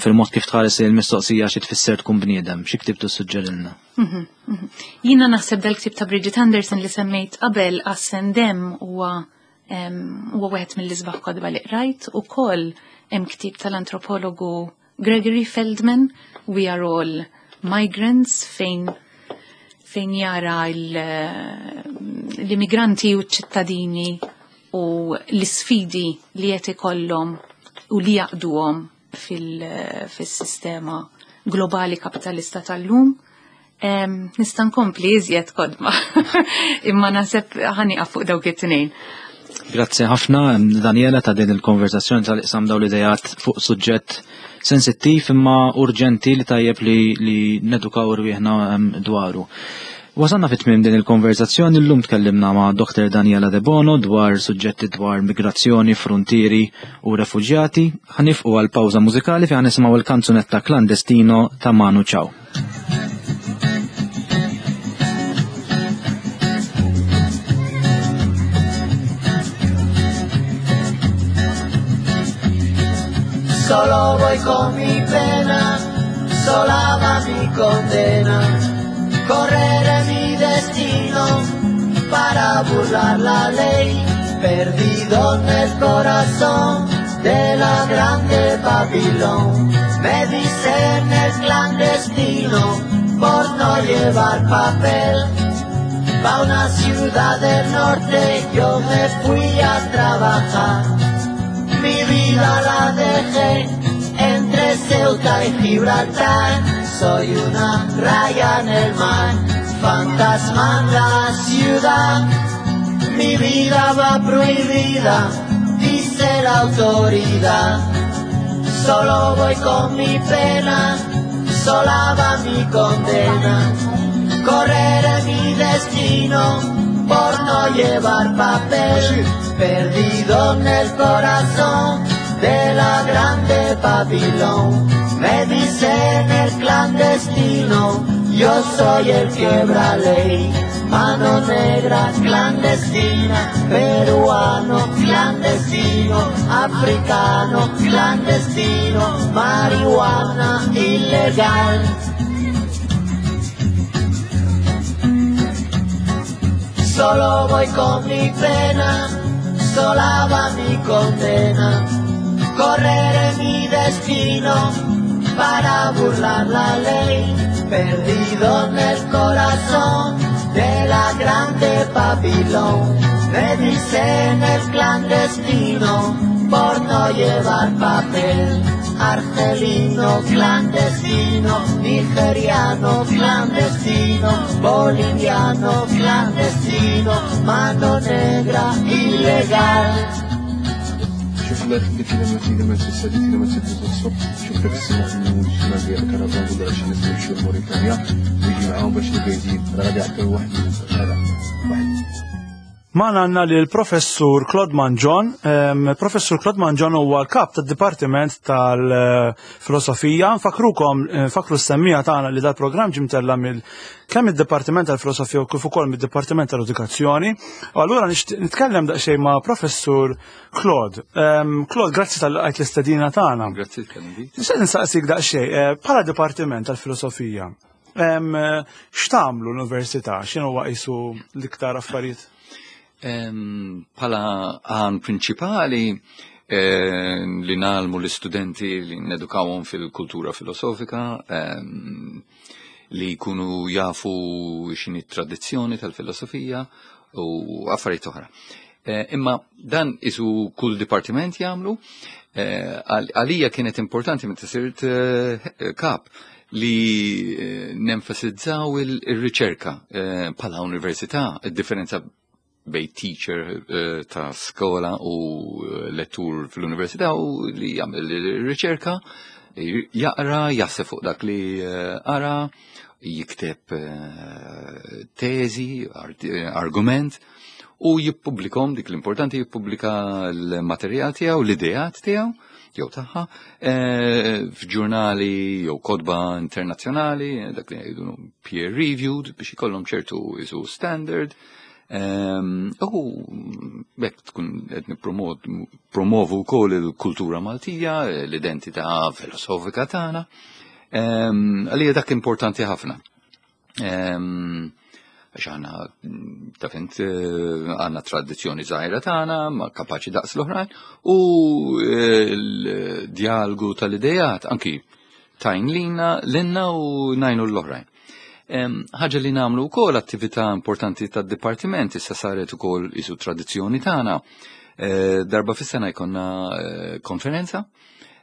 fil-mod kif tħares il-mistoqsija xi tfisser tkun bniedem, xi ktieb tissuġġerilna? Mhm, mhm. Jiena naħseb dal-ktieb ta' Bridget Anderson li semmejt qabel Us and Them huwa huwa wieħed mill-isbaħ kotba li qrajt, ukoll hemm ktieb tal-antropologu Gregory Feldman, We Are All Migrants, fejn, fejn jara l-immigranti u ċ-ċittadini u l-isfidi li qed ikollhom u li jaqduhom fil-sistema globali kapitalista tal-lum. Nista' nkompli iżjed kodma, imma naħseb ħanieqaf fuq dawk it-tnejn. Grazzi ħafna, Daniela, ta' din il-konversazzjoni tal-iqsam dawn l-idejat fuq suġġett sensittiv imma urġenti li tajjeb li, li nedukaw rwieħna dwaru. Wasalna fit tmiem din il-konversazzjoni. Llum tkellimna ma' Doktor Daniela De Bono dwar suġġetti dwar migrazzjoni, frontieri u refuġjati. Ħanifqu għal pawża mużikali fejn nisimgħu il-kanzunetta Clandestino ta' Manu Chao. Solo voy con mi pena, sola va mi condena. Correré mi destino para burlar la ley, perdido en el corazón de la grande Babilón. Me dicen el clandestino por no llevar papel. Pa' una ciudad del norte yo me fui a trabajar. Mi vida la dejé entre Ceuta y Gibraltar. Soy una raya en el mar, fantasma en la ciudad. Mi vida va prohibida, dice la autoridad. Solo voy con mi pena, sola va mi condena. Correré mi destino por no llevar papel, perdido en el corazón de la grande Babilón. Me dicen el clandestino, yo soy el quebra ley. Mano negra clandestina, peruano clandestino, africano clandestino, marihuana ilegal. Solo voy con mi pena, sola va mi condena. Correré mi destino para burlar la ley, perdido en el corazón de la grande Babilón. Me dicen el clandestino por no llevar papel. Argelino clandestino, nigeriano clandestino, boliviano clandestino, mano negra ilegal. شوف الله يخليك الا ما الا ما تساليت الا ما تتوصل شوف داك السماء في الاول ديال الكرفان ولا شي ناس يمشيو لموريتانيا ويجي معاهم باش القايدين راه غادي يعطيو واحد هذا واحد. Magħna għandna li l-Professur Claude Mangion. Professur Claude Mangion huwa l-kap tad-Dipartiment tal-Filosofija. Nfakrukom, nfakru s-semmija tagħna li dal-programm ġie mtella' mill kemm id-Dipartiment tal-Filosofija u kif ukoll mid-Dipartiment tal-Edukazzjoni. U allura nitkellem daqsxejn ma' Professur Claude. Claude, grazzi tal-qajt l-istedina tagħna. Grazzi tal-invit. Nixtieq nsaqsik daqsxejn, bħala Dipartiment tal-Filosofija, x'tagħmlu l-Università? X'inhu huwa qisu l-iktar affarijiet? Bħala għan prinċipali eh, li nalmu l-istudenti li nedukawhom fil-kultura filosofika, eh, li jkunu jafu x'inhi tradizzjoni tal-filosofija u affarijiet oħra. Eh, imma dan isu kull dipartiment jagħmlu, għalija kienet importanti meta sirt kap li nenfasizzaw il-riċerka bħala università, id-differenza bej teacher uh, ta' skola u lettur fl-università u li jagħmel riċerka, jaqra, jaħseb fuq dak li qara, jikteb uh, teżi, argument u jippubblikom, dik l-importanti, jippubblika l-materjal tiegħu, l-ideat tiegħu jew tagħha f'ġurnali jew kotba internazzjonali, dak li jgħidu peer reviewed biex ikollhom ċertu isu standard. U bekk tkun qed nippromovu wkoll il-kultura Maltija, l-identità filosofika tagħna. Għalija dak importanti ħafna. Għax aħna taf int għandna tradizzjoni żgħira tagħna, ma kapaċi daqs l-oħrajn, u l-dialogu tal-idejat anki tajn lina lilna u najnu l-oħrajn. Ħaġa li nagħmlu wkoll attività importanti tad-dipartiment issa saret ukoll isu tradizzjoni tagħna. Darba fis-sena jkollna konferenza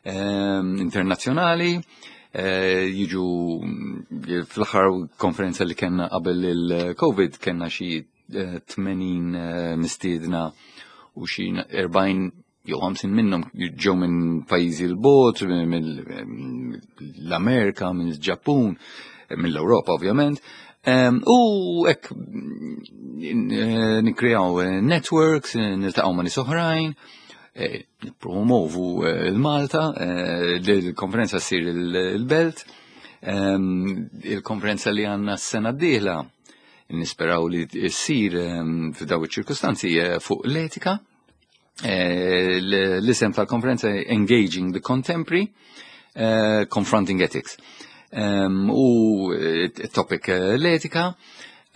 internazzjonali, jiġu fl-aħħar konferenza li kellna qabel il-Covid kellna xi tmenin mistiedna u xi erbgħin jew ħamsin minnhom ġew minn pajjiżi l-bogħod, mill-Amerika, mill-Ġappun, mill-Ewropa ovvjament. U hekk nikkreaw networks, niltaqgħu ma' nies oħrajn, nippromovu l-Malta, il-konferenza ssir il-Belt, il-konferenza li għandna s-sena d-dieħla nisperaw li ssir f'daw iċ-ċirkustanzi fuq l-etika, Eh, l-isem tal-konferenza Engaging the Contemporary, eh, Confronting Ethics. U topic l-etika,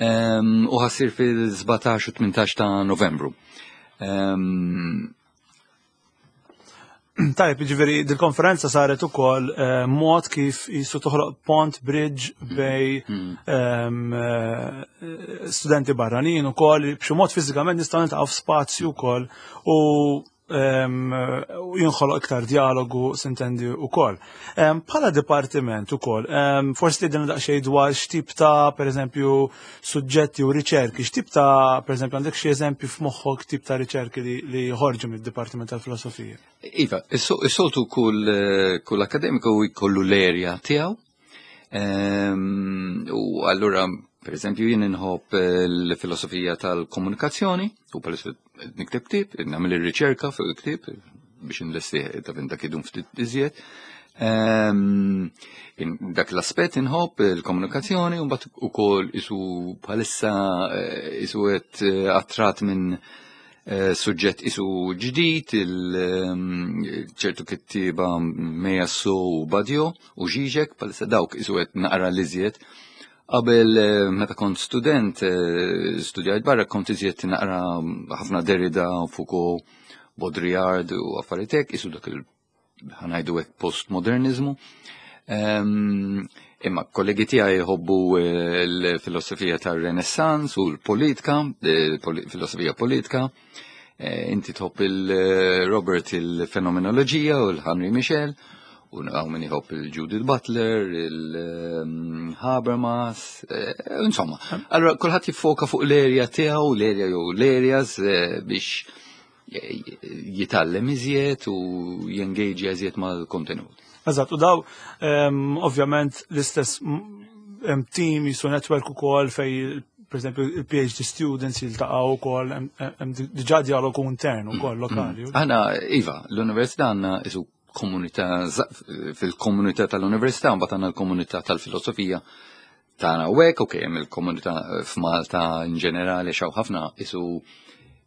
u ħa ssir fil-sbatax u tmintax ta' Novembru. Tajb, ġifieri, dil-konferenza saret ukoll eh, mod kif jisu toħloq pont bridge bejn mm. ehm, eh, studenti barranin ukoll, b'xi mod fiżikament nistgħu niltaqgħu f'spazju wkoll u ehm, jinħoloq iktar dialogu s'intendi ukoll. Ehm, bħala dipartiment ukoll, forsi tgħidilna daqsxejn dwar x'tip ta' pereżempju suġġetti u riċerki, x'tip ta' pereżempju għandek xi eżempju f'moħħok tip ta' riċerki li joħorġu mid-Dipartiment tal-Filosofija? Iva, is-soltu kull, kull akademiku jkollu l-area tiegħu. Ehm, u allura, per eżempju, jien inħobb l-filosofija tal-komunikazzjoni, u palissa nikteb ktieb, nagħmel ir-riċerka fuq il-ktieb biex nlesti ta' dak idum ftit iżjed. Ehm, dak l-aspett inħobb il-komunikazzjoni, u mbagħad ukoll isu bħalissa eh, isu qed eh, attrat minn eh, suġġett isu ġdid, ehm, ċertu kittieba Meillassoux u Badiou u Žižek, bħalissa dawk isu qed naqra l-iżjed. Qabel meta kont student, studjajt barra, kont iżjed naqra ħafna Derrida, Foucault, Baudrillard u affarijiet hekk, isu dak il ħa ngħidu hekk postmodernizmu. Ehm, imma kollegi tiegħi jħobbu eh, l-filosofija tar-Renaissance u l-politika, eh, filosofija politika. Eh, inti tħobb il-Robert il-fenomenoloġija u l-Henri Michel, u hawn min jħobb il-Judith Butler, il-Habermas, insomma. Allora, kulħadd jiffoka fuq l-area tiegħu, l-area jew l-areas biex jitgħallem iżjed u jengaġi iżjed mal-kontenut. Eżatt, u daw ovvjament l-istess team jisu network ukoll fej per esempio il-P H D students jiltaqgħu ukoll, hemm diġà dialogu intern ukoll mm, lokali. Mm. Aħna iva, l-università għandna isu komunità fil-komunità tal-università, mbagħad għandna l-komunità tal-filosofija tagħna u hekk, ok, hemm il-komunità f'Malta in ġenerali xaw ħafna isu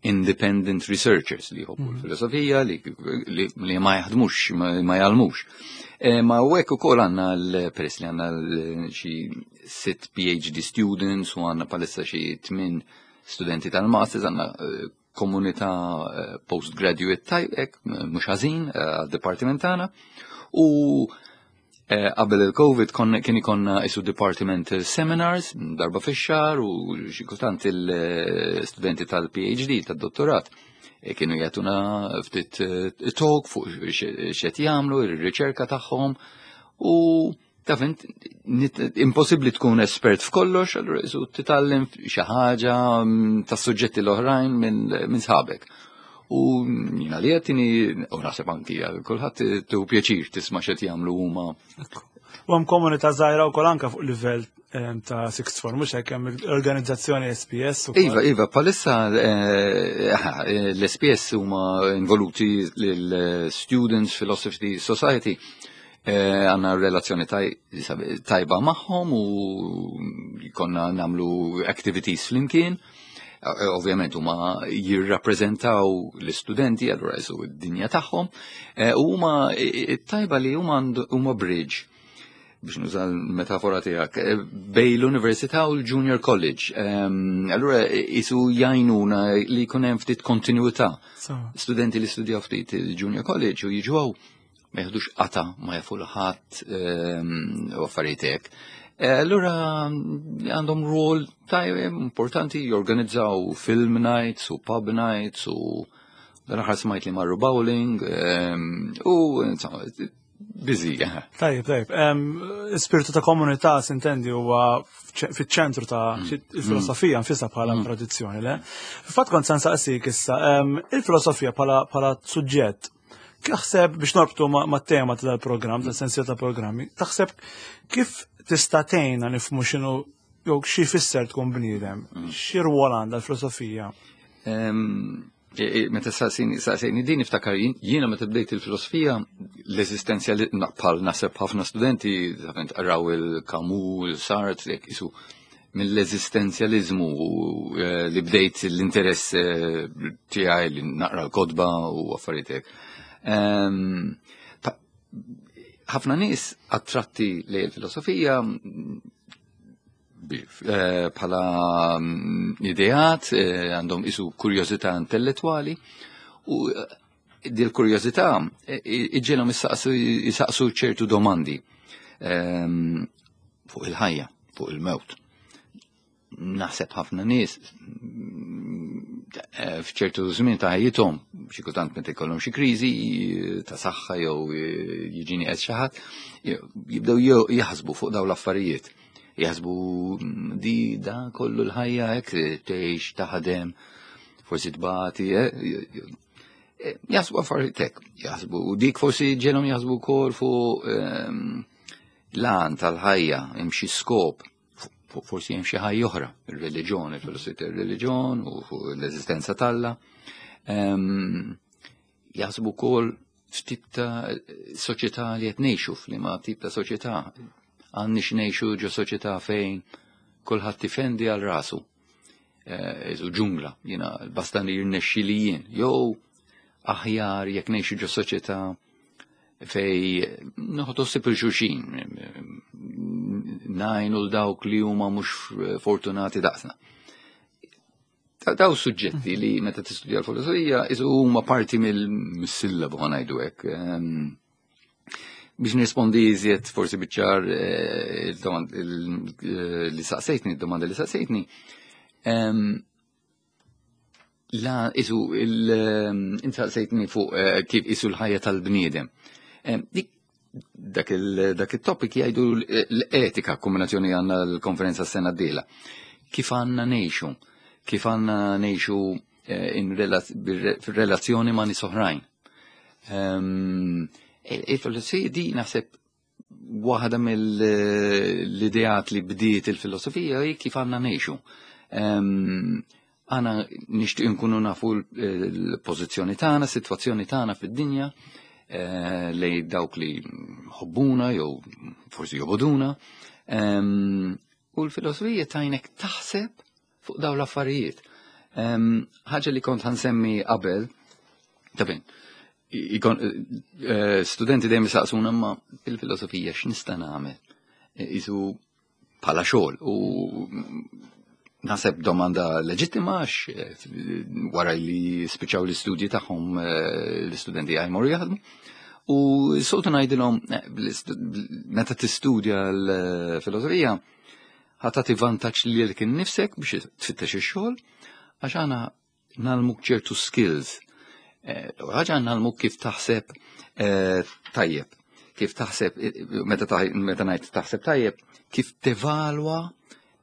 independent researchers li jħobbu mm. l-filosofija li, li, li ma jaħdmux, ma, ma jgħallmux. E, ma u hekk ukoll għandna l-peress li għandna xi sitt P H D students u għandna bħalissa xi tmien studenti tal-masters, għandna eh, komunità eh, postgraduate tajbek, mhux ħażin eh, għad-dipartiment tagħna. U qabel il-Covid kien ikonna isu departmental seminars darba fix-xahar u xi kultant il-studenti tal-P H D, tad-dottorat, kienu jagħtuna ftit talk fuq x'qed jagħmlu, ir-riċerka tagħhom u taf int, impossibbli tkun espert f'kollox, allura isu titgħallem xi ħaġa mm, tas suġġetti l-oħrajn minn sħabek. U jina li għattini, u naħseb anki għal kulħadd tu pjaċir tisma' x'qed jagħmlu huma. U hemm komunità żgħira wkoll anke fuq livell ta' sixth form, mhux hekk, hemm l-organizzazzjoni S P S ukoll. Iva, iva, bħalissa eh, l-S P S huma involuti l-Students Philosophy Society. Eh, għandna relazzjoni tajba magħhom u konna nagħmlu activities flimkien. Eh, ovvjament huma jirrappreżentaw l-istudenti, allura jisu d-dinja tagħhom, u huma tajba li huma huma bridge biex nuża l-metafora tiegħek, bejn l-Università u l-Junior College. Allura jisu jgħinuna li jkun hemm ftit kontinuità. Studenti li studjaw ftit il-Junior College u jiġu ma jeħdux qata ma jafu l-ħadd u affarijiet hekk. Allura għandhom rol tajjeb importanti, jorganizzaw film nights u pub nights u dan aħħar smajt li marru bowling u insomma busy. Tajjeb, tajjeb. Spiritu ta' komunità s'intendi huwa fiċ-ċentru ta' mm. il-filosofija nfisha bħala mm. tradizzjoni, le? Fil-fatt kont se nsaqsik issa, il-filosofija bħala suġġett, taħseb biex norbtu ma' tema ta' dal-programm, ta' sensija ta' programmi, taħseb kif tista' tgħinna nifhmu x'inhu jew xi jfisser tkun bniedem, mm. xi rwol għandha l-filosofija? Meta saqsejni din niftakar jiena meta bdejt il-filosofija l-eżistenzjali bħal naħseb ħafna studenti raw il-Camus, il-Sartre, isu mill-eżistenzjalizmu eh, li bdejt l-interess eh, tiegħi li naqra l-kotba u affarijiet hekk. Ehm, ta- ħafna nies attratti lejn il-filosofija bi- eh, bħala mm, ideat, eh, għandhom isu kurjożità intellettwali u eh, dil kurjożità iġġegħelhom jisaqsu ċertu domandi ehm, fuq il-ħajja, fuq il-mewt. Naħseb ħafna nies eh, f'ċertu żmien ta' ħajjithom, xi kultant meta jkollhom xi kriżi eh, ta' saħħa jew eh, jiġini qed xi ħadd, jibdew jew- jaħsbu fuq dawn l-affarijiet. Jaħsbu mm, di da kollu l-ħajja hekk tgħix taħdem, forsi tbati, eh, eh, jaħsbu affarijiet hekk, jaħsbu u dik forsi ġegħelhom jaħsbu wkoll fuq ehm, l-għan tal-ħajja, hemm xi skop, fu- forsi hemm xi ħajja oħra, ir-reliġjon, il-filosofija tar-reliġjon u fuq l-eżistenza t'Alla. Ehm, Jaħsbu wkoll f'tip ta' soċjetà li qed ngħixu, f'liema tip ta' soċjetà. Għandniex ngħixu ġo soċjetà fejn kulħadd tifendi għal rasu. Eh, Isu ġungla, jiena basta li jirnexxi li jien. Jew aħjar jekk ngħixu ġo soċjetà fejn noħdu ħsieb 'il xulxin, ngħinu 'l dawk li huma mhux fortunati daqsna. Ta- Daw suġġetti li meta tistudja l-filosofija isu huma parti mill-sillabu ħa ngħidu hekk. Ehm, Biex nirrispondi iżjed forsi biċ-ċar eh, il-domand- il- eh, li saqsejtni, il-domanda li saqsejtni, ehm, La, isu, il, inti saqsejtni fuq eh, kif isu l-ħajja tal-bniedem. Em, Dik, dak il- dak il-topic jgħidu l-etika, kombinazzjoni għandna l-konferenza s-sena d-dieħla. Kif għandna ngħixu? Kif għandna ngħixu eh, in rela- bir- fil-relazzjoni ma' nies oħrajn? Em, Il-filosofija di naħseb waħda mill-ideat li bdiet il-filosofija hi kif għandna ngħixu. Em, Għana nixtieq nkunu nafu l-pożizzjoni tagħna, sitwazzjoni tagħna fid-dinja, eh, lej dawk li ħobbuna jew forsi jobogħduna. Em, U l-filosofija tgħinek taħseb fuq dawn l-affarijiet. Em, Ħaġa li kont ħa nsemmi qabel, tabin, ikon, eh, studenti dejjem jisaqsuna ma fil-filosofija x'nista' nagħmel? Eh, Isu bħala xogħol u naħseb domanda leġittima għax eh, wara li spiċċaw l-istudji tagħhom eh, l-istudenti jmorru jaħdmu. U soltu ngħidilhom eh, bl-istu- meta tistudja l-filosofija ħa tagħti vantaġġ lilek innifsek biex tfittex ix-xogħol għax għana ngħallmuk ċertu skills. Eh, Ħaġa ngħallmuk kif taħseb eh, tajjeb, kif taħseb, eh, meta taħ- meta ngħid taħseb tajjeb, kif tevalwa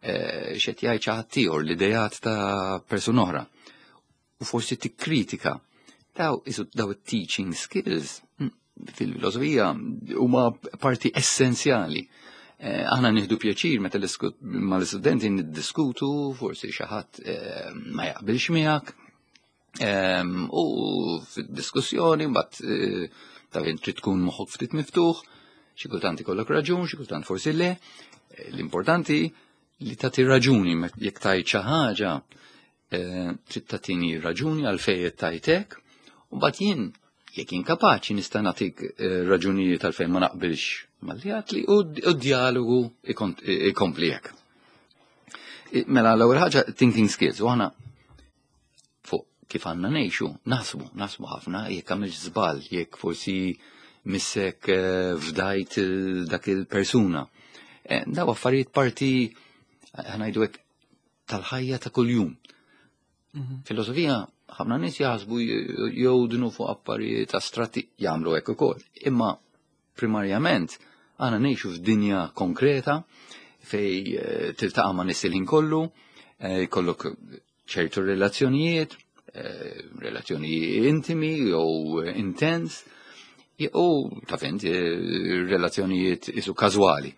eh, x'qed jgħid xi ħadd ieħor l-idejat ta' persuna oħra. U forsi tikkritika. Daw isu daw it-teaching skills mm, fil-filosofija huma parti essenzjali. Eh, Aħna nieħdu pjaċir meta l-isku- mal-istudenti niddiskutu, forsi xi ħadd eh, ma jaqbilx miegħek. Em, U fid-diskussjoni mbagħad eh, taf int trid tkun moħħok ftit miftuħ, xi kultant ikollok raġun, xi kultant forsi le. Eh, L-importanti li tagħti raġuni met- jekk tajt xi ħaġa eh, trid tagħtini raġuni għalfejn qed tajtek, u mbagħad jien jekk jien kapaċi nista' nagħtik eh, raġunijiet għalfejn ma naqbilx malli li u d dialogu ikompli hekk. Eh, Mela l-ewwel ħaġa thinking skills u aħna fuq kif għandna ngħixu, naħsbu, naħsbu ħafna jekk għamilt żball, jekk forsi missek eh, fdajt il- dak il-persuna. Eh, Daw affarijiet parti ħa ngħidu hekk tal-ħajja ta' kuljum. Filosofija, ħafna nies jaħsbu jgħodnu fuq affarijiet astratti jagħmlu hekk ukoll. Imma primarjament għana ngħixu f'dinja konkreta fej eh, tiltaqa' ma' nies il-ħin kollu, eh, jkollok ċertu relazzjonijiet, eh, relazzjoni intimi jew intens, jew taf int eh, relazzjonijiet isu każwali.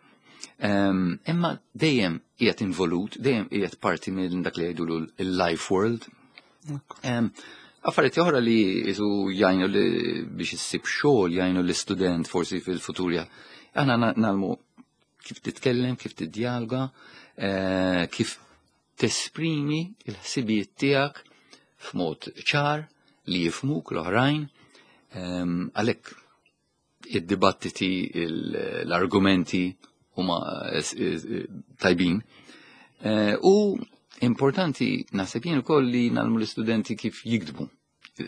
Em, Imma dejjem qiegħed involut, dejjem qiegħed parti minn dak li jgħidu il-life world. Em, Affarijiet oħra li isu jgħinu li biex issib xogħol jgħinu l-istudent forsi fil-futur. Aħna ngħallmu Kif titkellem, kif tiddialoga, eh, kif tesprimi il-ħsibijiet tiegħek f'mod ċar li jifhmuk l-oħrajn. Ehm, Għalhekk id-dibattiti, il- l-argumenti huma eh, eh, tajbin. Eh, U importanti naħseb jien ukoll li ngħallmu l-istudenti kif jiktbu,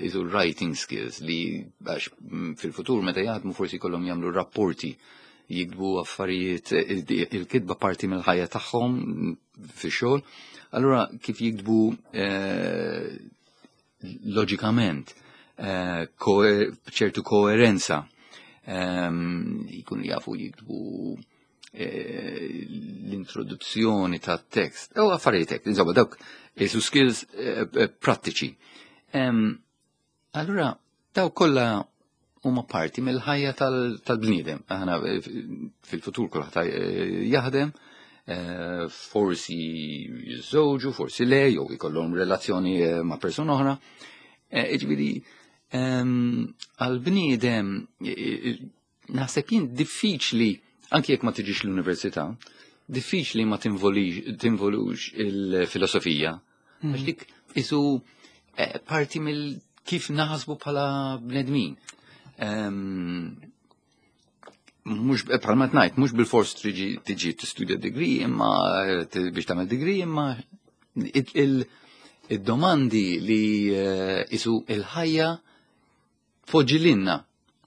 isu writing skills, li għax mm, fil-futur meta jaħdmu forsi kollhom jagħmlu rapporti, jiktbu affarijiet, il-kitba parti mill-ħajja tagħhom fix-xogħol. Allura kif jiktbu eh, loġikament, eh, ċertu koerenza, ehm, jkunu jafu jiktbu eh, l-introduzzjoni ta' tekst, u affarijiet hekk, insomma, dawk isu skills prattiċi. Ehm, allura, daw kollha huma parti mill-ħajja tal-bniedem. Aħna fil-futur kulħadd jaħdem, eh, forsi jiżżewġu, forsi le, jew ikollhom relazzjoni eh, ma' persuna oħra. Eh, jiġifieri, ehm, għal-bniedem naħseb jien diffiċli, anki jekk ma tiġix l-università, diffiċli ma tinvolux il-filosofija. Mm. Għax dik isu parti mill kif naħsbu bħala bnedmin. Mhux bħalma tnajt, mhux bil-fors tiġi tiġi tistudja degree, imma biex tagħmel degree, imma il-domandi li eh, isu il-ħajja tpoġġi lilna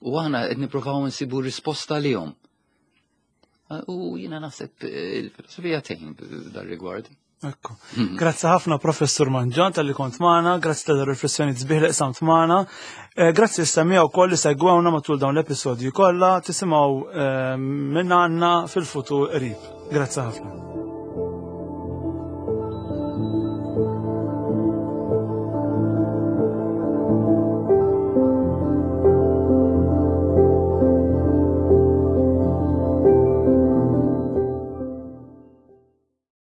u aħna qed nippruvaw nsibu risposta lihom. U jiena naħseb il-filosofija tgħin dar-rigward. Ekku. Grazzi ħafna, Professur Mangion, talli kont magħna, grazzi ta' riflessjoni sbieħ li qsamt magħna. Eh, grazzi s-semmiegħa wkoll li segwewna matul dawn l-episodji kollha, tisimgħu eh, minn għandna fil-futur qrib. Grazzi ħafna.